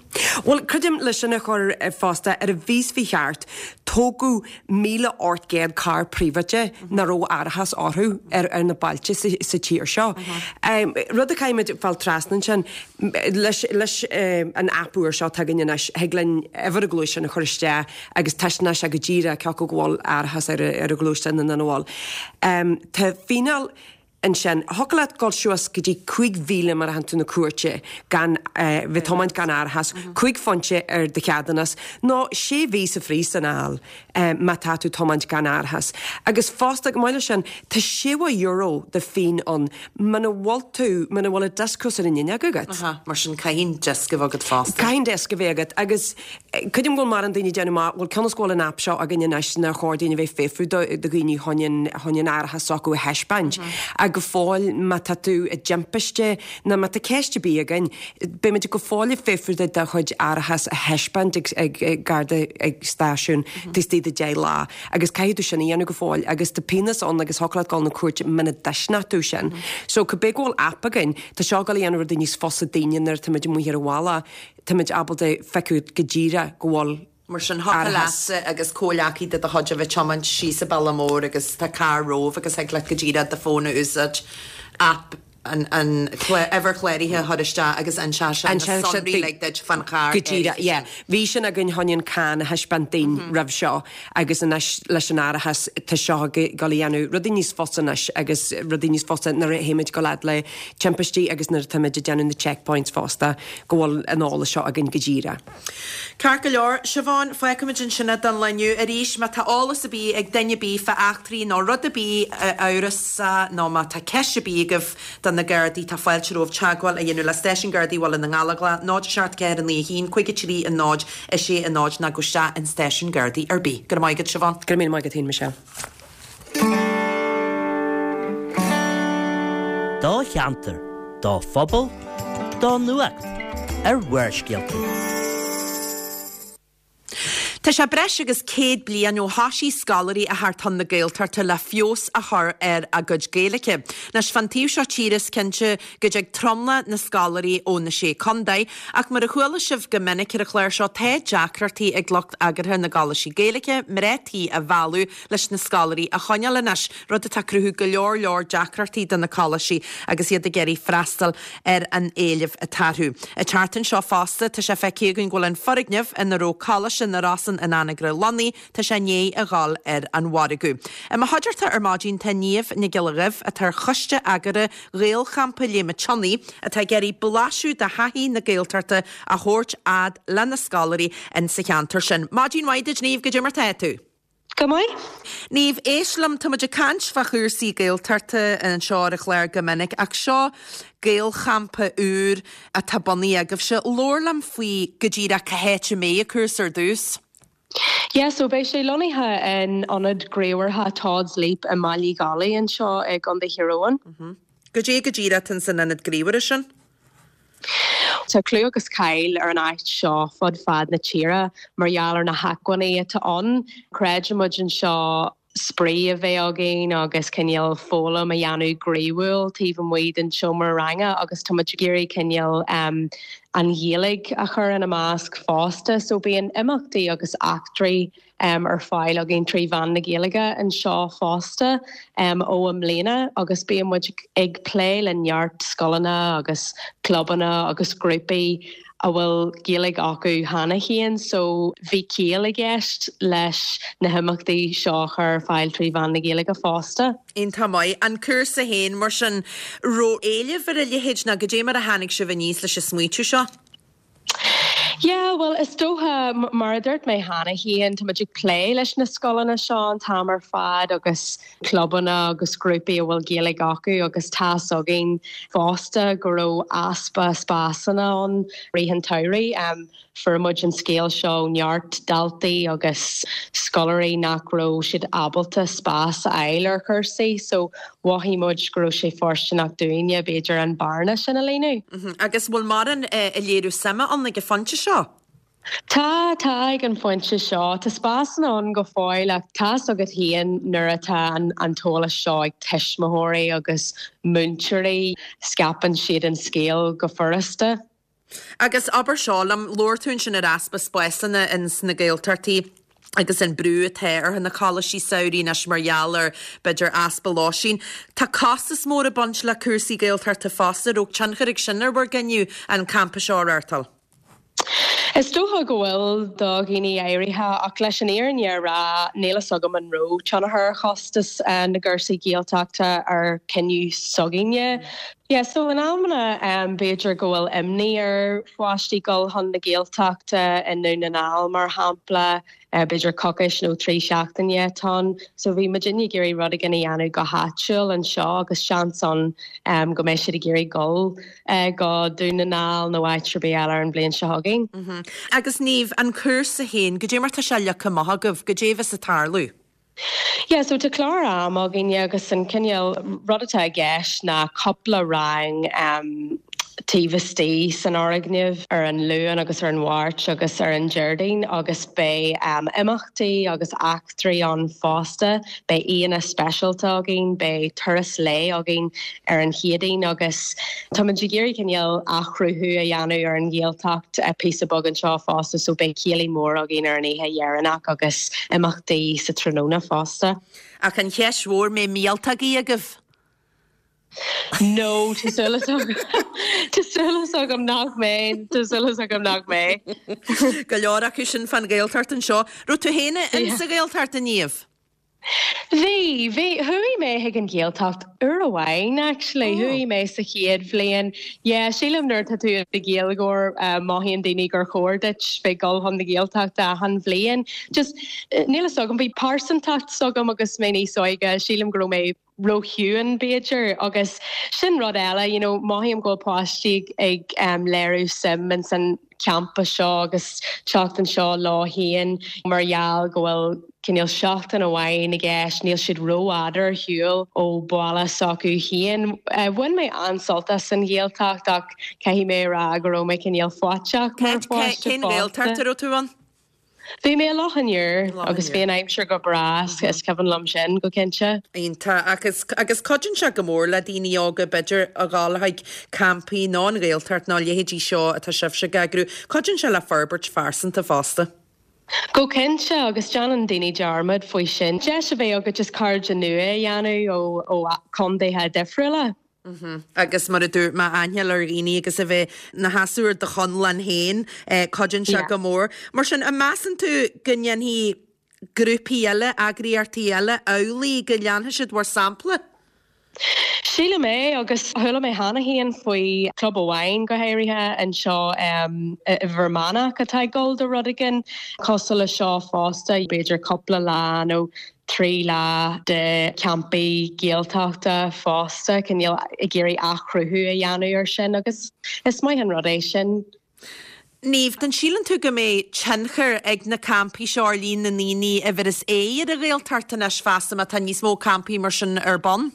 Bhuel, creidim leis sin a chur fosta ar an mhí seo thart, tógadh 1,800 carr príobháide nach raibh árachas orthu ar na bailte sa tír seo. Rud a chaithfimid fáil trasna ansin, leis an aip úr seo atá againn anois, thig linn uimhir an ghluaisteáin a chur isteach agus taispeánann sé go díreach cé acu go bhfuil árachas ar an ghluaisteán nó nach bhfuil. Tá fíneáil. Ansin, thiocfadh leat dul suas go dtí 5,000 má théann tú na cúirte gan, bheith ag tiomáint gan árachas, 5 phointe ar do cheadúnas, nó 6 mhí sa phríosún a fháil má tá tú ag tiomáint gan árachas. Agus fosta, chomh maith leis sin, tá €60 de fíon ann muna bhfuil tú, muna bhfuil an diosca ar an fhuinneog agat. Aha, mar sin caithfidh an diosca a bheith agat fosta. Caithfidh an diosca a bheith agat agus Creidim go bhfuil mórán daoine ag déanamh maith, bhuel cionn is go bhfuil an aip seo againn anois nár chóir dúinn a bheith ag fiafrú do dhaoine chun an chun an árachas s'acu a thaispeáint. Ach go fóill má tá tú i dtimpiste nó má tá ceist ar bith againn, beimid go fóill ag fiafrú duit do chuid árachas a thaispeáint ag ag garda ag stáisiún taobh istigh de 10 lá agus caithfidh tú sin a dhéanamh go fóill agus tá pionós ann agus thiocfadh leat dul na cúirte muna dtaispeánann tú sin. So cibé go bhfuil aip againn, tá seo ag dul a dhéanamh rudaí níos fusa daoine nuair atáimid amuigh ar an bhealach. Táimid ábalta feiceáil go díreach go bhfuil Mar sin, thiocfadh árachas. leatsa agus comhleacaí de do chuid a bheith ag tiomáint síos an bealach mór agus tá carr romhaibh agus thig leat go díreach do fón a úsáid, app. An uimhir chláraithe a chur isteach agus inseoidh sé na sonraí uilig duit fán charr Go díreach, yeah. Bhí sin againn chun an carr a thaispeáint daoine roimh seo agus anois leis an árachas tá seo ag dul a dhéanamh rudaí níos fusa anois agus rudaí níos fusa nuair a théimid go fhad le timpistí agus nuair atáimid ag déanamh na checkpoints fosta go bhfuil an eolas seo againn go díreach. Ceart go leor, Siobhán, fágfaimid ansin é don lá inniu. Arís, má tá eolas ar bith ag duine ar bith fá eachtraí nó rud ar bith amhrasach nó má tá ceist ar bith agaibh do na Gardaí, tá fáilte romhaibh teagmháil a dhéanamh le Stáisiún Gardaí Bhaile na nGallóglach, 0 7 4 9 1 5 3 0 6 0 nó gabh isteach in stáisiún Gardaí ar bith. Go raibh maith agat, Siobhán. Go raibh míle maith agat féin, Michelle. Do cheantar, do phobal, do nuacht ar Bharrscéalta. Tá sé breis agus 100 bliain ó thoisigh scoláirí a theacht chun na Gaeltachta le feabhas a chur ar a gcuid Gaeilge. Anois, fán taobh seo tíre is cinnte go dtig tromlach na scoláirí ó na Sé Contae, ach mar a chuala sibh go minic ar an chlár seo tá deacrachtaí ag lucht eagraithe na gcoláistí Gaeilge mná tí a mhealladh leis na scoláirí a choinneáil anois, rud atá ag cruthú go leor leor deacrachtaí do na coláistí agus iad ag iarraidh freastal ar an éileamh atá orthu. An tseachtain seo fosta, tá sé feicthe againn go bhfuil an foirgneamh ina raibh Coláiste na Rosann in Anagaire lonnaithe, tá sé i ndiaidh a dhul ar an mhargadh. I mo chuideachta ar maidin tá Niamh Nic Giolla Dhuibh, atá ar choiste eagraithe Ghaelchampa Léim an tSionnaigh, atá ag iarraidh blaiseadh de thaithí na Gaeltachta a thabhairt fhad le na scoláirí in sa cheantar sin. Maidin mhaith duit Niamh, goidé mar tá tú? Go maith. Niamh, éist liom, tá muid ag caint fá chúrsaí Gaeltachta anseo ar an chlár go minic, ach seo Gaelchampa úr atá bunaithe agaibhse. Labhair liom faoi go díreach cá háit a mbeidh an cúrsa ar dtús. Yeah, so beidh sé lonnaithe in ionad gníomhartha Todd's Leap i mBaile Uí Dhálaigh anseo i gContae Thír Eoghain. Goidé go díreach atá san ionad gníomhartha sin? Tá clú agus cáil ar an áit seo fud fad na tíre mar gheall ar na hacmhainní atá ann. Creideann muid anseo spraoi a bheith againn agus cineál foghlaim a dhéanamh gnaíúil taobh amuigh den seomra ranga agus tá muid ag iarraidh cineál an Ghaeilge a chur ina measc fosta. So bíonn imeachtaí agus eachtraí ar fáil againn trí mheán na Gaeilge anseo fosta ó i mbliana agus bíonn muid ag plé le neart scoileanna agus clubanna agus grúpaí a bhfuil Gaeilge acu cheana féin so bhí ciall i gceist leis na himeachtaí seo a chur ar fáil trí mheán na Gaeilge fosta. Iontach maith. An cúrsa féin mar sin, raibh éileamh ar a leithéid nó goidé mar a tháinig sibh aníos leis an smaoitiú seo? Yeah, bhuel, is dócha, mar a dúirt mé cheana féin, tá muid ag plé leis na scoileanna seo an t-am ar fad agus clubanna agus grúpaí a bhfuil Gaeilge acu agus tá's againn fosta go raibh easpa spásanna ann rith an tsamhraidh. Fuair muid an scéal seo ó neart daltaí agus scoláirí nach raibh siad ábalta spás a fháil ar chúrsaí so mhothaigh muid go raibh sé fóirsteanach dúinne b'fhéidir an bearna sin a líonadh. Agus bhfuil mórán ag léiriú suime ann ag an phointe seo? Tá, tá ag an phointe seo. Tá spásanna ann go fóill ach tá's agat féin nuair atá an t-eolas seo ag tuismitheoirí agus múinteoirí, scaipeann siad an scéal go furasta. Agus abair seo liom, labhair tú ansin ar easpa spásanna ins na Gaeltachtaí agus an brú atá ar na coláistí samhraidh anois mar gheall ar, b'fhéidir, easpa lóistín. Tá costas mór ag baint le cúrsaí Gaeltachta fosta. Raibh tionchar ag sin ar bhur gcinneadh an campa seo a reáchtáil? Is dócha go bhfuil do dhaoine áirithe, ach leis an fhírinne a rá, níl fhios agam an raibh tionchar ar chostas na gcúrsaí Gaeltachta ar chinneadh s'againne. Yeah, so in amanna b'fhéidir go bhfuil imní ar pháistí dul chun na Gaeltachta i nDún na nGall mar shampla, b'fhéidir coicís nó 3 seachtaine atá ann. So bhí muidinne ag iarraidh rud éigin a dhéanamh go háitiúil anseo agus seans ann go mbeidh siad ag iarraidh dul go Dún na nGall nó áit ar bith eile ar an bhliain seo chugainn. Agus Niamh, an cúrsa féin, goidé mar tá sé leagtha amach agaibh, goidé a bheas ag tarlú? Yeah, so tá clár ama againne agus an cineál rud atá i gceist ná cúpla rang um, taobh istigh san fhoirgneamh ar an Luan agus ar an Mháirt agus ar an Déardaoin agus beidh um, imeachtaí agus eachtraí ann fosta. Beidh aíonna speisialta againn, beidh turas lae againn ar an Chéadaoin agus táimid ag iarraidh cineál athchruthú a dhéanamh ar an Ghaeltacht píosa beag anseo fosta so beidh céilí mór againn ar an oíche dheireanach agus imeachtaí sa tráthnóna fosta. Ach an cheist mhór, mbeidh míoltógaí agaibh? No, tá súil agam, tá súil agam nach mbeidh, tá súil agam nach mbeidh. Go leor acu sin fán Ghaeltacht anseo. Raibh tú féin in sa Ghaeltacht a Niamh? Bhí, bhí, chuaigh mé chuig an Ghaeltacht uair amháin actually, chuaigh mé sa chéad bhliain. Yeah, sílim nuair atá tú i do Ghaeilgeoir mothaíonn daoine gur chóir duit bheith ag dul chun na Gaeltachta achan bhliain. Just, níl a fhios agam, bhí pearsantacht s'agam agus mé níos óige, sílim go raibh mé róchiúin b'fhéidir agus sin rud eile you know mothaím go bhfuil páistí ag léiriú suim ins an campa seo agus teacht anseo leo féin mar gheall go bhfuil cineál seachtain amháin i gceist níl siad rófhada ar shiúl ó bhaile s'acu féin. Bhain mé an-sult as an Ghaeltacht ach caithfidh mé a rá go raibh mé cineál faiteach mar pháiste Cén Ghaeltacht a raibh tú ann? Bhí mé i Loch an Iúir agus bhí an aimsir go breá, is cuimhin liom sin go cinnte. Iontach. Agus agus cuidíonn sé go mór le daoine óga b'fhéidir a dhul chuig campaí nó an Ghaeltacht nó a leithéidí seo atá sibhse ag eagrú. Cuidíonn sé le forbairt phearsanta fosta. Go cinnte, agus déanann daoine dearmad faoi sin. Deis a bheith agat just cairde nua a dhéanamh ó chontaetha difriúla. Agus mar a dúirt mé, aithne a fháil ar dhaoine agus a bheith 'na sheasamh ar do chonlán féin, cuidíonn sé go mór. Mar sin, an measann tú go ndéanfaidh grúpaí eile, eagraíochtaí eile amhlaidh, go leanfaidh siad bhur sampla? Sílim é, agus chuala mé cheana féin faoi chlub amháin go háirithe anseo i bhFear Manach atá ag dul do rud éigin cosúil le seo fosta, b'fhéidir cúpla lá nó 3 lá de champaí Gaeltachta fosta, cineál ag iarraidh athchruthú a dhéanamh ar sin agus is maith an rud é sin. Niamh, an síleann tú go mbeidh tionchar ag na campaí seo ar líon na ndaoine a bheireas aghaidh ar an Ghaeltacht anois feasta má tá níos mó campaí mar sin ar bun?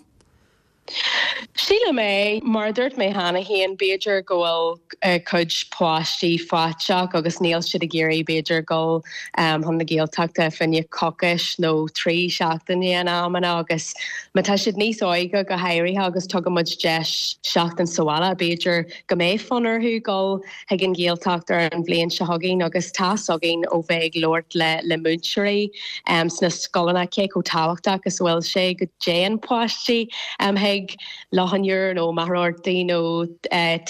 Sílim é. Mar a dúirt mé cheana féin, b'fhéidir go bhfuil cuid páistí faiteach agus níl siad ag iarraidh b'fhéidir dul chun na Gaeltachta fá choinne coicís nó 3 seachtaine in amanna agus má tá siad níos óige go háirithe agus tugann muid deis seachtain sa bhaile b'fhéidir go mbeidh fonn orthu dul chuig an Ghaeltacht ar an bhliain seo chugainn agus tá's againn ó bheith ag labhairt le le múinteoirí sna scoileanna cé chomh tábhachtach is a bhfuil sé go dtéann páistí chuig Loch an Iúir nó Machaire Rabhartaigh nó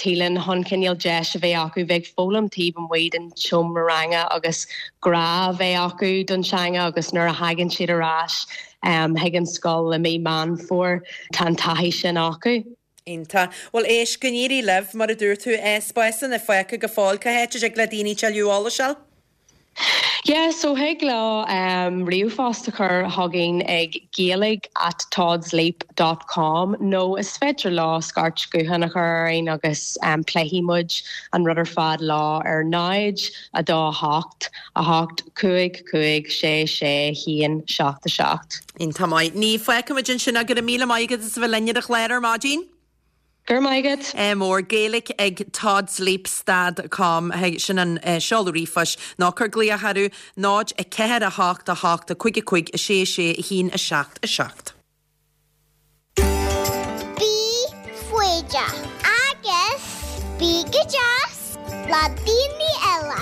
Teelin chun cineál deis a bheith acu bheith ag foghlaim taobh amuigh den tseomra ranga agus grá a bheith acu don teanga agus nuair a thagann siad ar ais chuig an scoil i mí Meán Fómhair tá an taithí sin acu. Iontach. Bhuel, éist, go n-éirí libh, mar a dúirt tú, spásanna fágtha go fóill. Cá háit a dtig le daoine tuilleadh eolais a fháil? Yeah, so thig leo ríomhphost a chur chugainn ag gaeilge at toddsleap dot com nó is féidir leo scairt gutháin a chur orainn agus pléifidh muid an rud ar fad leo ar 0, 2, 8, 8, 5, 5, 6, 6, 1, 7, 7. Iontach maith. Niamh, fágfaimid ansin é. Go raibh míle maith agat as a bheith linn ar an chlár ar maidin. Go raibh maith agat. Ádh mór. Gaeilge ag toddsleap stad com, sin an seoladh ríomhphoist. Nó cuir glaoch orthu, 0, 4, 8, 8, 5, 5, 6, 6, 1, 7, 7. Bí foighdeach agus bí go deas le daoine eile.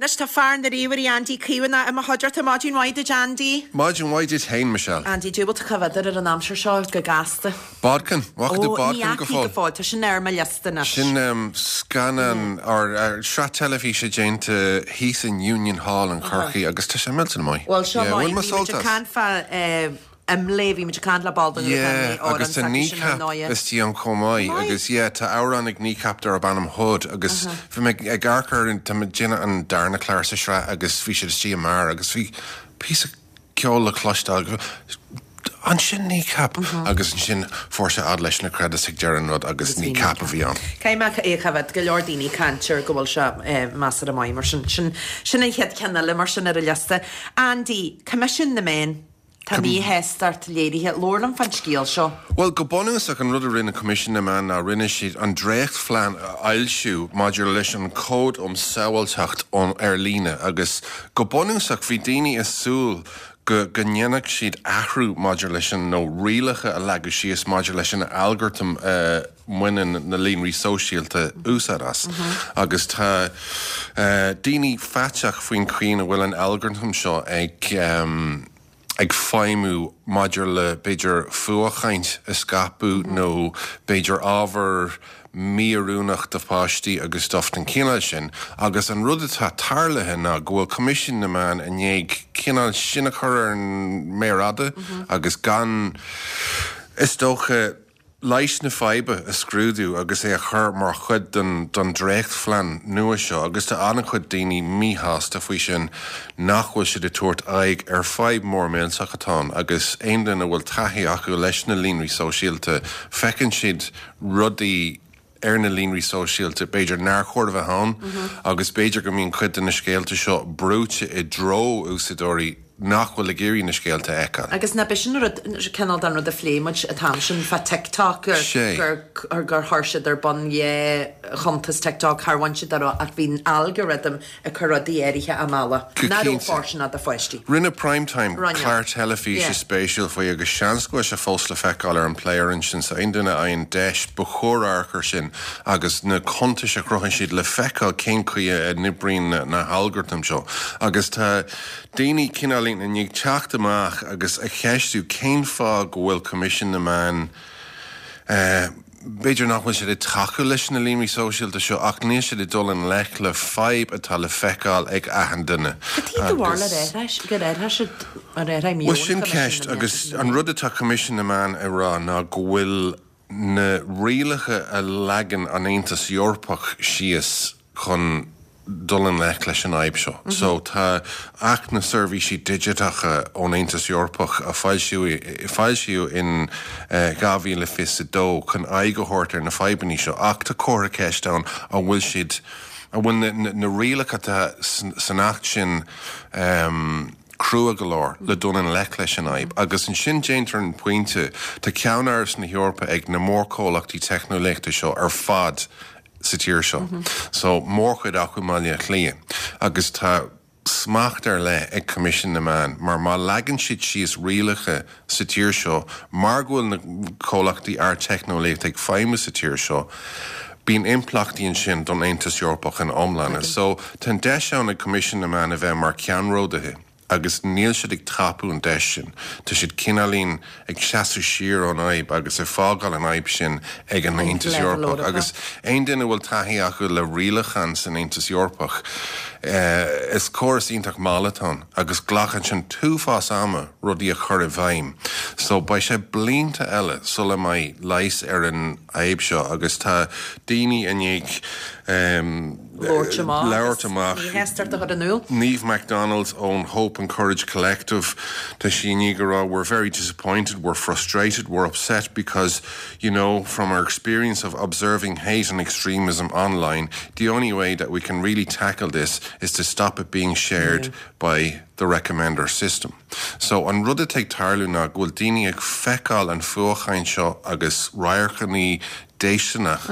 Anois tá fear na ríomhairí Andy Caomhánach i mo chuideachta. Maidin mhaith duit Andy. Maidin mhaith duit féin Michelle. Andy, caidé a bhfuil tú a choimhéad ar an aimsir seo go gasta. Bodkin, bhfaca tú Bodkin go fóill? Ó, ní fhaca go fóill, tá sin ar mo liosta anois. Sin scannán, or sraith teilifíse déanta thíos in Union Hall in Corcaigh agus tá sé millteanach maith. Bhuel, seo maith, bhí muid ag caint fá IMLÉ, bhí muid ag caint le ball den ghrúpa IMLÉ, Yeah, agus tá Kneecap istigh ann chomh maith agus yeah, tá amhrán ag Kneecap darb ainm Hood agus bhí mé ag amharc ar, tá mé ag déanamh an darna clár sa sraith agus bhí siad istigh i mbeár agus bhí píosa ceol le cloisteáil. Ansin Kneecap! Agus ansin fuair sé fhad leis na credits ag deireadh an rud agus Kneecap a bhí ann. Caithfidh mé é a choimhéad, go leor daoine ag caint air go bhfuil sé measartha maith mar sin. Sin sin an chéad cheann eile mar sin ar an liosta. Andy, Coimisiún na Meán. Tá míshástacht léirithe. Labhair liom fán scéal seo. Bhuel, go bunúsach, an rud a rinne Coimisiún na Meán ná rinne siad an dréachtphlean a fhoilsiú maidir leis an Cód um Sábháilteacht ar Líne agus go bunúsach bhí daoine ag súil go go ndéanfadh siad athrú maidir leis an, nó rialacha a leagadh síos maidir leis an algartam a mbaineann na líonraí sóisialta úsáid as. Agus tá daoine faiteach faoin chaoi ina bhfuil an algartam seo ag. ag feidhmiú maidir le b'fhéidir fuathchaint a scaipeadh nó b'fhéidir ábhar mí-oiriúnach do pháistí agus stuff den chineál sin agus an rud atá tarlaithe ná go bhfuil Coimisiún na Meán i ndiaidh cineál sin a chur ar an méar fhada agus gan, is dócha, leigheas na faidhbe a scrúdú agus é a chur mar chuid den den dréachtphlean nua seo agus tá an-chuid daoine míshásta faoi sin nach bhfuil siad ag tabhairt aghaidh ar fadhb mór millteach atá ann agus aon duine a bhfuil taithí acu leis na líonraí sóisialta feiceann siad rudaí ar na líonraí sóisialta b'fhéidir nár chóir a bheith ann agus b'fhéidir go mbíonn cuid de na scéalta seo brúite i dtreo úsáideoirí nach bhfuil ag iarraidh na scéalta a fheiceáil. Agus nach b'shin an rud, cineál den rud a phléigh muid an t-am sin fá TikTok, gur gur chuir siad ar bun dhá chuntas TikTok, char bhain siad de ach bhí an algorithm ag cur rudaí áirithe á mealladh, nach raibh fóirsteanach do pháistí. Rinne Prime Time clár teilifíse spéisiúil faoi agus seans go bhfuil sé fós le feiceáil ar an player ansin so aon duine a fhaigheann deis ba chóir amharc air sin agus na cuntais a chruthaíonn siad le feiceáil cén chaoi a n-oibríonn na halgartaim seo agus tá daoine cineáilín i ndiaidh teacht amach agus a cheistiú cén fáth go bhfuil Coimisiún na Meán, b'fhéidir nach bhfuil siad ag tacú leis na líonraí sóisialta seo ach níl siad ag dul i ngleic le fadhb atá le feiceáil ag achan duine. Cad chuige do bharúil gur athraigh siad, ar athraigh meon Bhuel sin Choimisiún na ceist Meán? agus an rud atá Coimisiún na Meán ag rá ná go bhfuil na rialacha a leagann an Aontas Eorpach síos chun dul i ngleic leis an fhadhb seo. So tá Acht na Seirbhísí Digiteacha ón Aontas Eorpach a foilsíodh in 2022 chun aghaidh a thabhairt ar na fadhbanna seo ach tá comhartha ceiste ann an bhfuil siad, an bhfuil na rialacha atá san Acht sin crua go leor le dul i ngleic leis an fhadhb. Agus ansin déantar an pointe, tá ceannáras na hEorpa ag na mórchomhlachtaí teicneolaíochta seo ar fad sa tír seo. So, mórchuid acu i mBaile Átha Cliath. Agus tá smacht ar leith ag Coimisiún na Meán mar má leagann siad síos rialacha sa tír seo mar go bhfuil na comhlachtaí ardteicneolaíochta ag feidhmiú sa tír seo, bíonn impleachtaí ansin don Aontas Eorpach ina iomláine. So, tá an deis ann ag Coimisiún na Meán a bheith mar cheannródaithe. agus níl siad ag tapú an deis sin. Tá siad cineáilín ag seasamh siar ón fhadhb agus ag fágáil an fhadhb sin ag an Aontas Eorpach. Agus aon duine a bhfuil taithí acu le rialacháin san Aontas Eorpach, is córas iontach mall atá ann agus glacann sé an t-uafás ama rudaí a chur i bhfeidhm. So beidh sé blianta eile sula mbeidh leigheas ar an fhadhb seo agus tá daoine i ndiaidh labhairt amach labhairt amach. Míshástacht a chur in iúl. Niamh McDonald ón Hope and Courage Collective, tá sí i ndiaidh a rá we're very disappointed, we're frustrated, we're upset because, you know, from our experience of observing hate and extremism online, the only way that we can really tackle this is to stop it being shared by the recommender system. So, an rud atá ag tarlú ná go bhfuil daoine ag feiceáil an fuathchaint seo agus radharcanna déistineach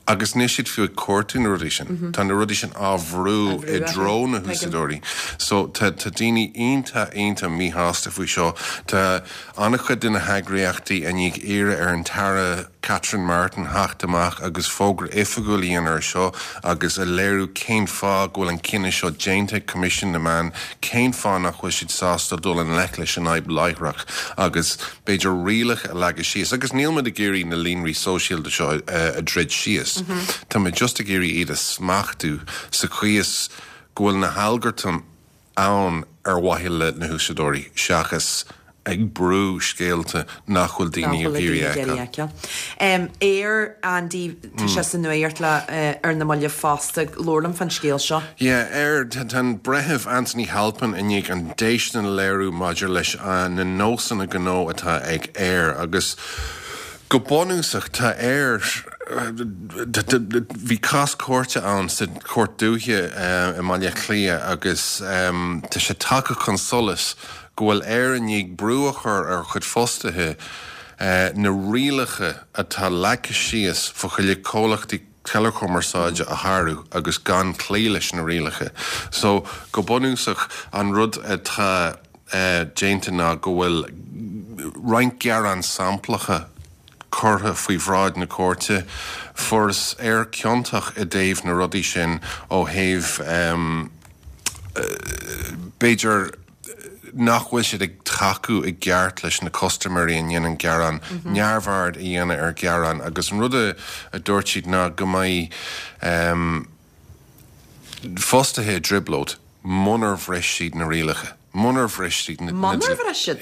Agus níl siad fiú ag cuartú na rudaí sin. Tá na rudaí sin á bhrú i dtreo na húsáideoirí. So tá tá daoine iontach iontach míshásta faoi seo. Tá an-chuid de na heagraíochtaí i ndiaidh iarraidh ar an tAire Catherine Martin theacht amach agus fógra oifigiúil a dhéanamh ar seo agus a léiriú cén fáth go bhfuil an cinneadh seo déanta ag Coimisiún na Meán, cén fáth nach bhfuil siad sásta dul i ngleic leis an fhadhb láithreach agus b'fhéidir rialacha a leagadh síos, agus níl muid ag iarraidh na líonraí sóisialta seo a dhruid síos, tá muid just ag iarraidh iad a smachtú sa chaoi is go bhfuil na halgartaim ann ar mhaithe le na húsáideoirí seachas ag brú scéalta nach bhfuil daoine ag iarraidh a fheiceáil. Eir, Andy, tá sé sa nuacht le ar na mallaibh fosta, labhair liom fán scéal seo. Yeah, Eir, tá an Breitheamh Anthony Halpin i ndiaidh an déistin a léiriú maidir leis na nósanna gnó atá ag Eir agus go bunúsach tá Eir, bhí cás cúirte ann sa Chúirt Dúiche i mBaile Átha Cliath agus tá sé tagtha chun solais go bhfuil Eir i ndiaidh brú a chur ar a chuid fostaithe na rialacha atá leagtha síos fá choinne comhlachtaí teileachumarsáide a shárú agus gan cloí leis na rialacha. So, go bunúsach, an rud atá déanta ná go bhfuil roinnt gearán samplacha curtha faoi bhráid na cúirte. Fuarthas Eir ciontach i dtaobh na rudaí sin ó thaobh, b'fhéidir. nach bhfuil siad ag tacú i gceart leis na custaiméirí a ndéanann gearán, neamhaird a dhéanamh ar ghearáin agus an rud a dúirt siad ná go mbeidh fostaithe i dtrioblóid munar bhris siad na rialacha, munar bhris siad na. Munar bhris siad?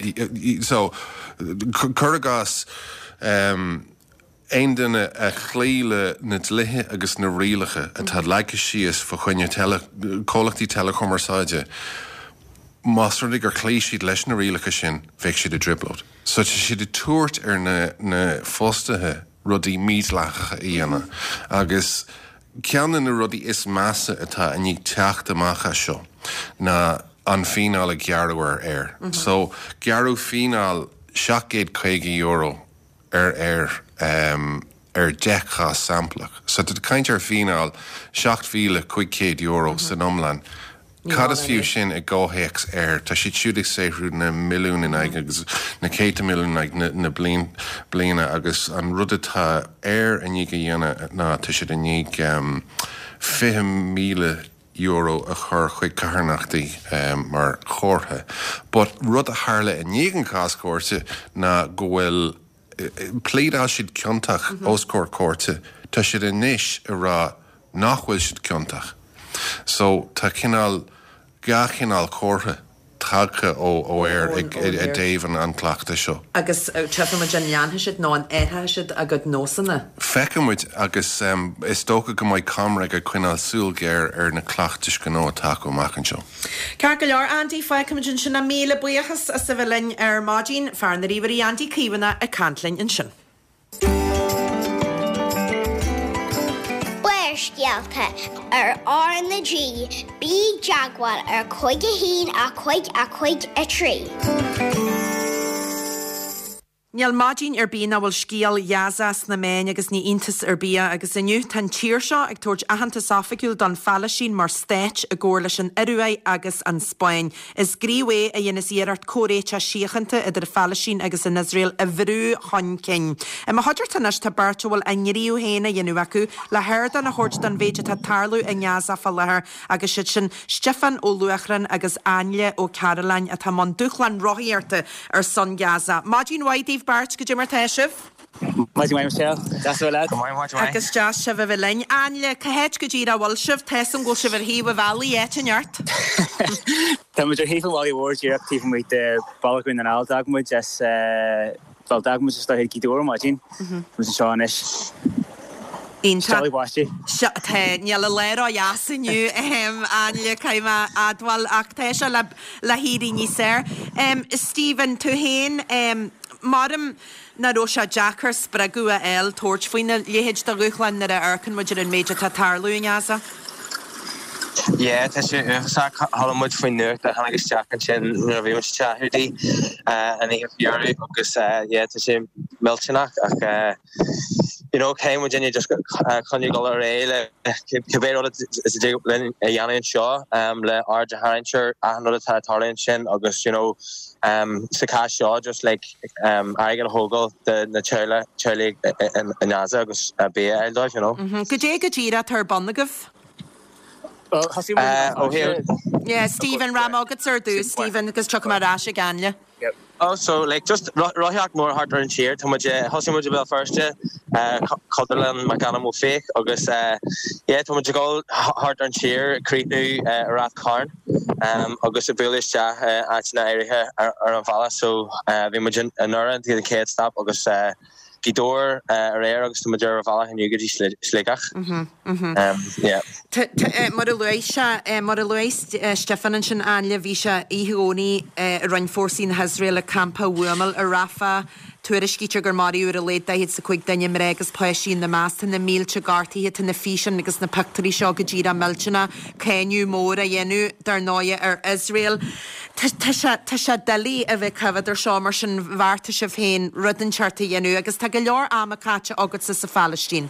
So, cuir i gcás, Aon duine a chloígh le na dlíthe agus na rialacha atá leagtha síos fá choinne comhlachtaí teileachumarsáide, más rud é gur chloígh siad leis na rialacha sin, bheadh siad i dtrioblóid. So tá siad ag tabhairt ar na fostaithe rudaí mídhleathacha a dhéanamh agus ceann de na rudaí is measa atá i ndiaidh teacht amach as seo ná an fíneáil a gearradh ar Eir. So gearradh fíneáil €750 ar Eir ar 10 chás samplach. So tá tú ag caint ar fíneáil €7,500 san iomlán. Cad is fiú sin i gcomhthéacs Eir? Tá siad siúd ag saothrú na milliúin in aghaidh agus na céadta milliún in aghaidh na bliana agus an rud atá Eir i ndiaidh a dhéanamh ná tá siad i ndiaidh €20,000 a chur chuig carthanachtaí mar chomhartha. But rud a tharla i ndiaidh an chás cúirte ná go bhfuil, phléadáil siad ciontach os comhair cúirte, tá siad anois ag rá nach bhfuil siad ciontach. So tá cineál, dhá chineál comhartha. tagtha ó Eir i dtaobh an chleachtais seo. Agus tchífimid an leanfaidh siad nó an athróidh siad a gcuid nósanna. Feicfimid agus is dócha go mbeidh ComReg ag coinneáil súil ghéar ar na cleachtais ghnó atá acu amach anseo. Ceart go leor, Andy, fágfaimid ansin é. Míle buíochas as a bheith linn ar maidin. Fear na ríomhairí Andy Caomhánach ag caint linn ansin. Barrscéalta ar R na G, bí i dteagmháil ar 5 1 5 5 3. Níl maidin ar bith nach bhfuil scéal Ghaza sna meáin agus ní iontas ar bith é agus inniu tá an tír seo ag tabhairt aitheantas oifigiúil don Phalaistín mar stát i gcomhar leis an Ioruaidh agus an Spáinn. Is gníomh é a dhéanas iarracht comhréiteach síochánta idir an Phalaistín agus an Iosrael a bhrú chun cinn. I mo chuideachta anois tá beirt a bhfuil a ngníomh féin á dhéanamh acu le hardán a thabhairt don mhéid atá ag tarlú i nGaza fá láthair agus siad sin Stiofán Ó Luachráin agus Ainle Ó Cairealláin atá i mbun dúshlán rothaíochta ar son Gaza. Maidin mhaith daoibh beirt, goidé mar tá sibh? Maidin mhaith Michelle. Deas a bheith leat. Go maith, maidin mhaith. Agus deas sibh a bheith linn. Ainle, cá háit go díreach a bhfuil sibh? Tá 'fhios a'm go bhfuil sibh ar thaobh an bhealaigh, áit inteacht. Tá muid ar thaobh an bhaile mhóir díreach taobh amuigh de Bhaile Dhún na nGall. D'fhág muid as, bhuel, d'fhág muid is dóiche Gaoth Dobhair ar maidin. Tá muid anseo anois. Iontach. Stealladh báistí. Seo, tá, níl an lá ró-dheas inniu, Ainle, caithfidh mé a admháil, ach tá sé le, le héirí níos fearr. Stephen, tú féin, maram, Nach raibh sé deacair spreagadh a fháil tabhairt faoina leithéid de dhúshlán nuair a amharcann muid ar an méid atá ag tarlú i nGaza? Yeah, tá sé uafásach. Chuala muid faoin nuacht a tháinig isteach ansin nuair a bhí muid sa teach Hiúdaí an oíche faoi dheireadh agus yeah, tá sé millteanach ach you know, caithfidh muidinne just coinneáil dul ar aghaidh le cibé rud is a dtig linn a dhéanamh anseo le aird a tharraingt ar achan rud atá ag tarlú ansin agus you know, sa chás seo just like airgead a thógáil do na teaghlaigh i nGaza agus bia a fháil dóibh, you know. Goidé go díreach atá ar bun agaibh? Bhuel, thosaigh muid ó thaobh. Yeah, Stephen, rachaidh mé chugatsa ar dtús, Stephen, agus tiocfaidh mé ar ais ag Ainle. Oh, so like just rothaíocht mór thart ar an tír. Tá muid, thosaigh muid i Béal Feirste, Cultúrlann McAdam Ó Fiaich agus yeah, tá muid ag dul thart ar an tír, ag críochnú i Rath Cairn. agus ag bualadh isteach i áiteanna áirithe ar an bhealach so bhí muid i nDoire an chéad stop agus Gaoth Dobhair aréir agus tá muid ar an bhealach inniu go dtí Sligeach. Yeah. Mar a luaigh sé, mar a luaigh Stiofán ansin, Ainle, bhí sé oíche Dhomhnaigh a rinne fórsaí na hIosraeile campa a bhuamáil i Rafah. Tuairiscítear gur maraíodh ar a laghad 45 duine, mná agus páistí ina measc. Tá na mílte gortaithe, tá na físeáin agus na pictiúirí seo go díreach millteanach. Cáineadh mór á dhéanamh, dar ndóighe, ar Iosrael. Tá sé, tá sé doiligh a bheith ag coimhéad ar seo, mar sin bheartaigh sibh féin rud inteacht a dhéanamh agus tá go leor ama caite agatsa sa Phalaistín.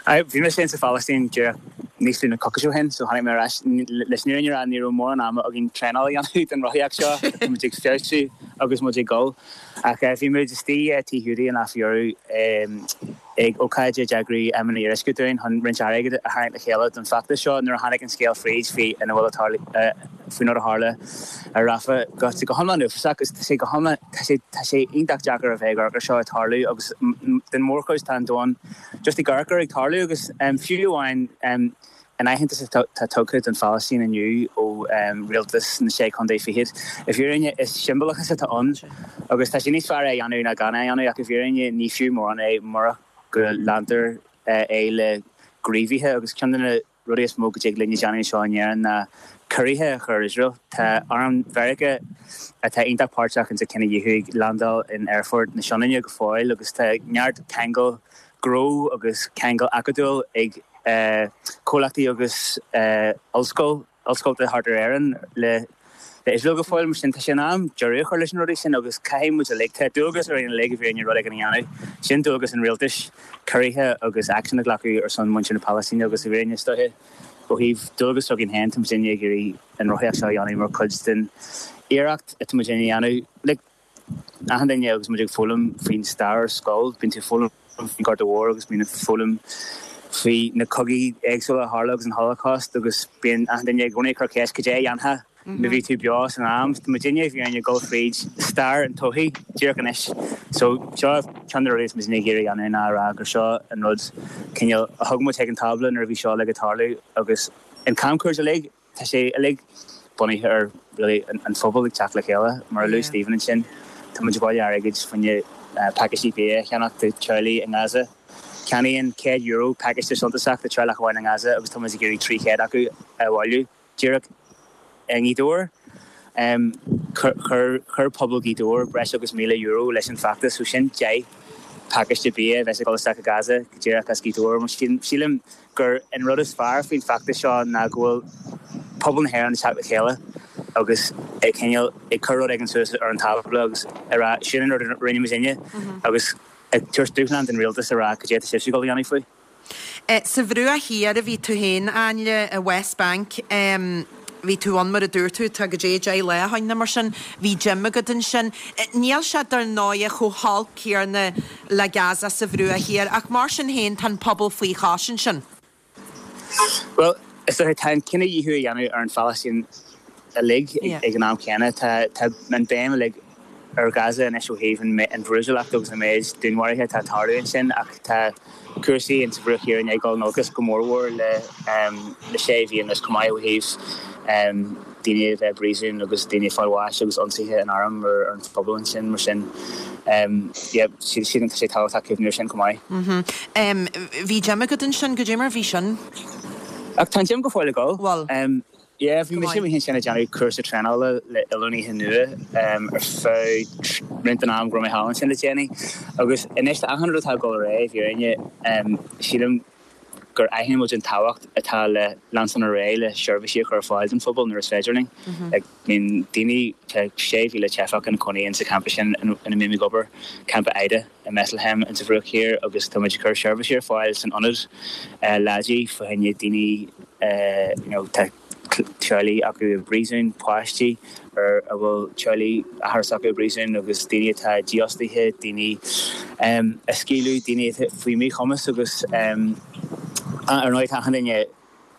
Aye, bhí mise féin sa Phalaistín díreach níos lú na coicís ó shin, so tháinig mé ar ais. Leis an fhírinne a rá, ní raibh mórán ama againn traenáil a dhéanamh don rothaíocht seo, tá muid ag feabhsú agus muid ag dul. Ach bhí muid istigh i Tigh Hiúdaí an lá faoi dheireadh. Ag ócáid a d'eagraigh Emma Ní Fhíoruisce dúinn chun roinnt airgid a tharraingt le chéile don bhfeachtas seo nuair a tháinig an scéal fríd faoi ina bhfuil ag tarlú faoin rud a tharla ar Rafah go go hiomlán uafásach agus tá sé go hiomlán tá sé tá sé iontach deacair a bheith ag amharc ar seo ag tarlú agus den mhórchuid tá an domhan just ag amharc air ag tarlú agus fiú amháin An aitheantas atá tugtha don Phalaistín inniu ó rialtas na Sé Chontae Fichead, i bhfírinne is siombalachas atá ann agus tá sé níos fearr é a dhéanamh ná gan é a dhéanamh ach i bhfírinne ní fiú mórán é murach go leantar é le gníomhaithe agus ceann de na rudaí is mó go dtig linn a dhéanamh anseo in Éirinn ná ciorruithe a chur ar Iosrael. Tá arm Mheiriceá atá iontach páirteach insa chinedhíothú ag landáil in aerfort na Sionainne go fóill agus tá neart ceangal gnó agus ceangal acadúil ag comhlachtaí agus ollscoil, ollscolta thart ar Éirinn le Iosrael go fóill. Mar sin, tá sé in am deireadh a chur leis na rudaí sin agus caithfidh muid uilig, tá dualgas orainn uilig i bhfírinne rud éigin a dhéanamh. Sin dualgas an rialtais, ciorruithe agus aicsean a ghlacadh ar son muintir na Palaistíne agus i bhfírinne is dóiche ó thaobh dualgas s'againn féin, tá muidinne ag iarraidh an rothaíocht seo a dhéanamh mar chuid den iarracht atá muidinne a dhéanamh. Like, Achan duine agus muid ag foghlaim faoin stair ar scoil, bíonn tú ag foghlaim faoin Ghorta Mhór agus bíonn ag foghlaim faoi na cogaí éagsúla a tharla agus an Holocaust agus bíonn achan duine i gcónaí ag cur ceist cad é a dhéanfá má bhí tú beo san am. Tá muidinne i bhfírinne ag dul fríd stair an todhchaí díreach anois. So seo ceann de na rudaí is muidinne ag iarraidh a dhéanamh ná a rá gur seo an rud cineál a thug muid chuig an tábla nuair a bhí seo uilig ag tarlú agus an camchuairt uilig. Tá sé uilig bunaithe ar really an phobal ag teacht le chéile. Mar a luaigh Stephen ansin, tá muid ag bailiú airgid fá choinne pacáistí bia a cheannach do teaghlaigh i nGaza. Ceannaíonn €100 pacáiste suntasach do teaghlach amháin i nGaza agus tá muid ag iarraidh 300 acu a bhailiú díreach i nGaoth Dobhair. Chuir pobal Ghaoth Dobhair breis agus €1,000 leis an bhfeachtas, so sin 10 pacáiste bia a bheas ag dul isteach i Gaza go díreach as Gaoth Dobhair. Mar sin, sílim gur an rud is fearr faoin bhfeachtas seo ná go bhfuil pobal na hÉireann ag teacht le chéile agus ag cineál ag cur rud éigin suas ar an tábla agus ag rá sin an rud a rinne muidinne agus ag tabhairt dúshlán don rialtas a rá cad é atá sibhse ag dul a dhéanamh faoi. Sa Bhruach Thiar a bhí tú féin, Ainle, i West Bank. Bhí tú ann mar a dúirt tú, tá goidé 10 lá ó shoin nó mar sin. Bhí gym agat ansin. Níl sé dar ndóighe chomh holc céarna le Gaza sa Bhruach Thiar ach mar sin féin tá an pobal faoi chois ansin. Bhuel, is dócha, tá an cinedhíothú á dhéanamh ar an Phalaistín uilig ag an am céanna. Tá an béim uilig ar Ghaza anois ó thaobh an bhrúidiúlacht agus an méid dúnmharuithe atá ag tarlú ansin ach tá cúrsaí in sa Bhruach Thiar i ndiaidh dul in olcas go mórmhór le le sé mhí anuas chomh maith ó thaobh daoine a bheith i bpríosún agus daoine ag fáil bháis agus ionsaithe an airm ar an phobal ansin mar sin yeah sílim tá sé tábhachtach cuimhniú ar sin chomh maith. Bhí gym agat ansin, goidé mar bhí sin? Ach tá an gym go fóill ag dul. Bhfuil? Yeah, bhí mise amuigh ansin ag déanamh cúrsa traenála le oiliúnaithe nua ar feadh roinnt den am go raibh mé thall ansin le déanaí. Agus anois le achan rud atá ag dul ar aghaidh, i bhfírinne, sílim gur aithin muid an tábhacht atá le leanstan ar aghaidh le seirbhísí a chur ar fáil don phobal nuair is féidir linn. Like, bíonn daoine, tá 6,000 teifeach ina cónaí insa champa sin ina mbím ag obair, Campa Aida i mBethlehem insa Bhruach Thiar agus tá muid ag cur seirbhísí ar fáil san ionad leidí fá choinne daoine you know tá teaghlaigh acu i bpríosún, páistí ar a bhfuil teaghlaigh athair s'acu i bpríosún agus daoine atá dífhostaithe, daoine a scaoileadh, daoine atá faoi mhíchumas agus ar ndóigh tá achan duine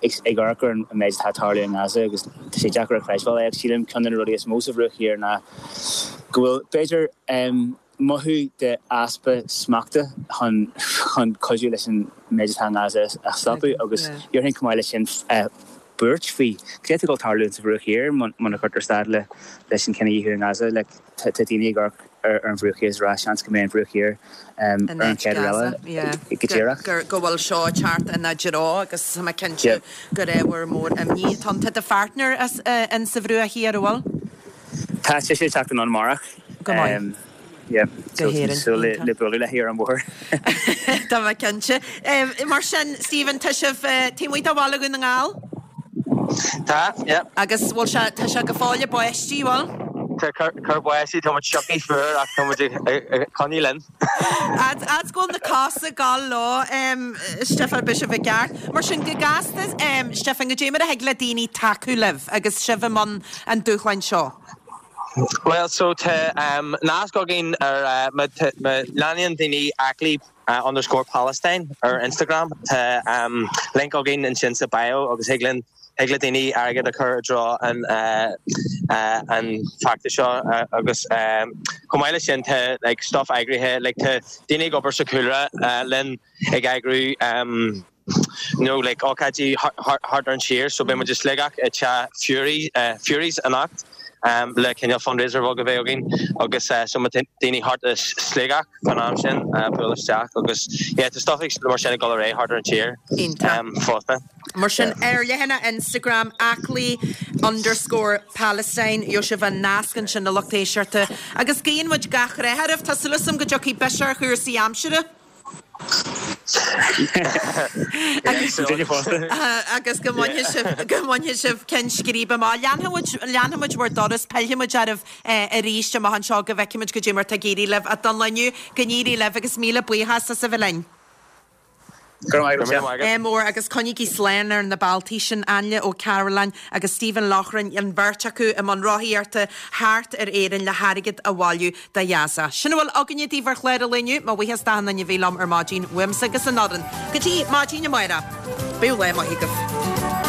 ag amharc ar an méid atá ag tarlú i nGaza agus tá sé deacair a chreidbheáil é ach sílim ceann de na rudaí is mó sa Bhruach Thiar ná go bhfuil b'fhéidir mothú de easpa smachta chun chun cuidiú leis an méid atá i nGaza a stopadh agus déarfainn chomh maith leis sin buairt faoi cad é atá ag dul tarlú sa Bhruach Thiar muna gcuirtear stad le leis an chinedhíothú i nGaza. Like tá daoine ag amharc ar an Bhruach Thiar is ag rá seans go mbeidh an Bhruach Thiar ar an chéad rud eile go díreach. Go bhfuil seo ag teacht ina dtreo agus tá mé cinnte gur ábhar mór imní atá ann. Tá do pháirtneir in sa Bhruach Thiar, an bhfuil? Tá sise ag teacht anonn amárach. Go maith. Yeah. Go hÉirinn. Súil le bualadh léi ar an bhóthar. Tá mé cinnte. Mar sin, Stephen, tá sibh taobh amuigh de Bhaile Dhún na nGall? Tá, yeah. Agus bhfuil sé, tá sé go fóill ag báistí, bhfuil? Tá ag cur báistí, tá muid sioctha fuar ach tá muid ag coinneáil linn. Fhad is go bhfuil na cosa ag gabháil leo, Stiofán, beidh sibh i gceart. Mar sin, go gasta, Stiofán, goidé mar a thig le daoine tacú libh agus sibh i mbun an dúshláin seo? Bhuel so tá nasc againn ar má leanann daoine Aclaí underscore Palestine ar Instagram tá link againn ansin sa bio agus thig linn thig le daoine airgead a chur i dtreo an an feachtas seo agus chomh maith leis sin tá like stuff eagraithe like tá daoine ag obair sa chúlra linn ag eagrú you know like ócáidí thart ar an tír so beidh muid i Sligeach i teach Fury Fury's anocht le cineál fundraiser bheag a bheidh againn agus so má tá daoine thart i Sligeach fán am sin buail isteach agus yeah tá stuff mar sin ag dul ar aghaidh thart ar an tír fosta. Mar sin ar leathanach Instagram aclaí underscore Palestine gheobhaidh sibh an nasc ansin a lucht éisteachta agus guíonn muid gach rath oraibh. Tá súil agam go dtiocfaidh biseach ar chúrsaí aimsire. Agus go mbainfidh sibh, go mbainfidh sibh ceann scríbe amach. Leanfaidh muid, leanfaidh muid bhur dturas, pillfidh muid oraibh arís amach anseo go bhfeicfidh muid goidé mar tá ag éirí libh. Ach don lá inniu, go n-éirí libh agus míle buíochas as a bheith linn. Go raibh maith agat. Ádh mór agus coinnígí slán ar na bealtaí sin, Ainle Ó Cearúlláin agus Stephen Loughran, an bheirt acu i mbun rothaíochta thart ar Éirinn le hairgead a bhailiú do Ghaza. Sin a bhfuil againne daoibh ar chlár an lae inniu. Mo bhuíochas d'achan duine a bhí liom ar maidin, uaimse agus an fhoireann. Go dtí maidin amárach, bíodh lá maith agaibh.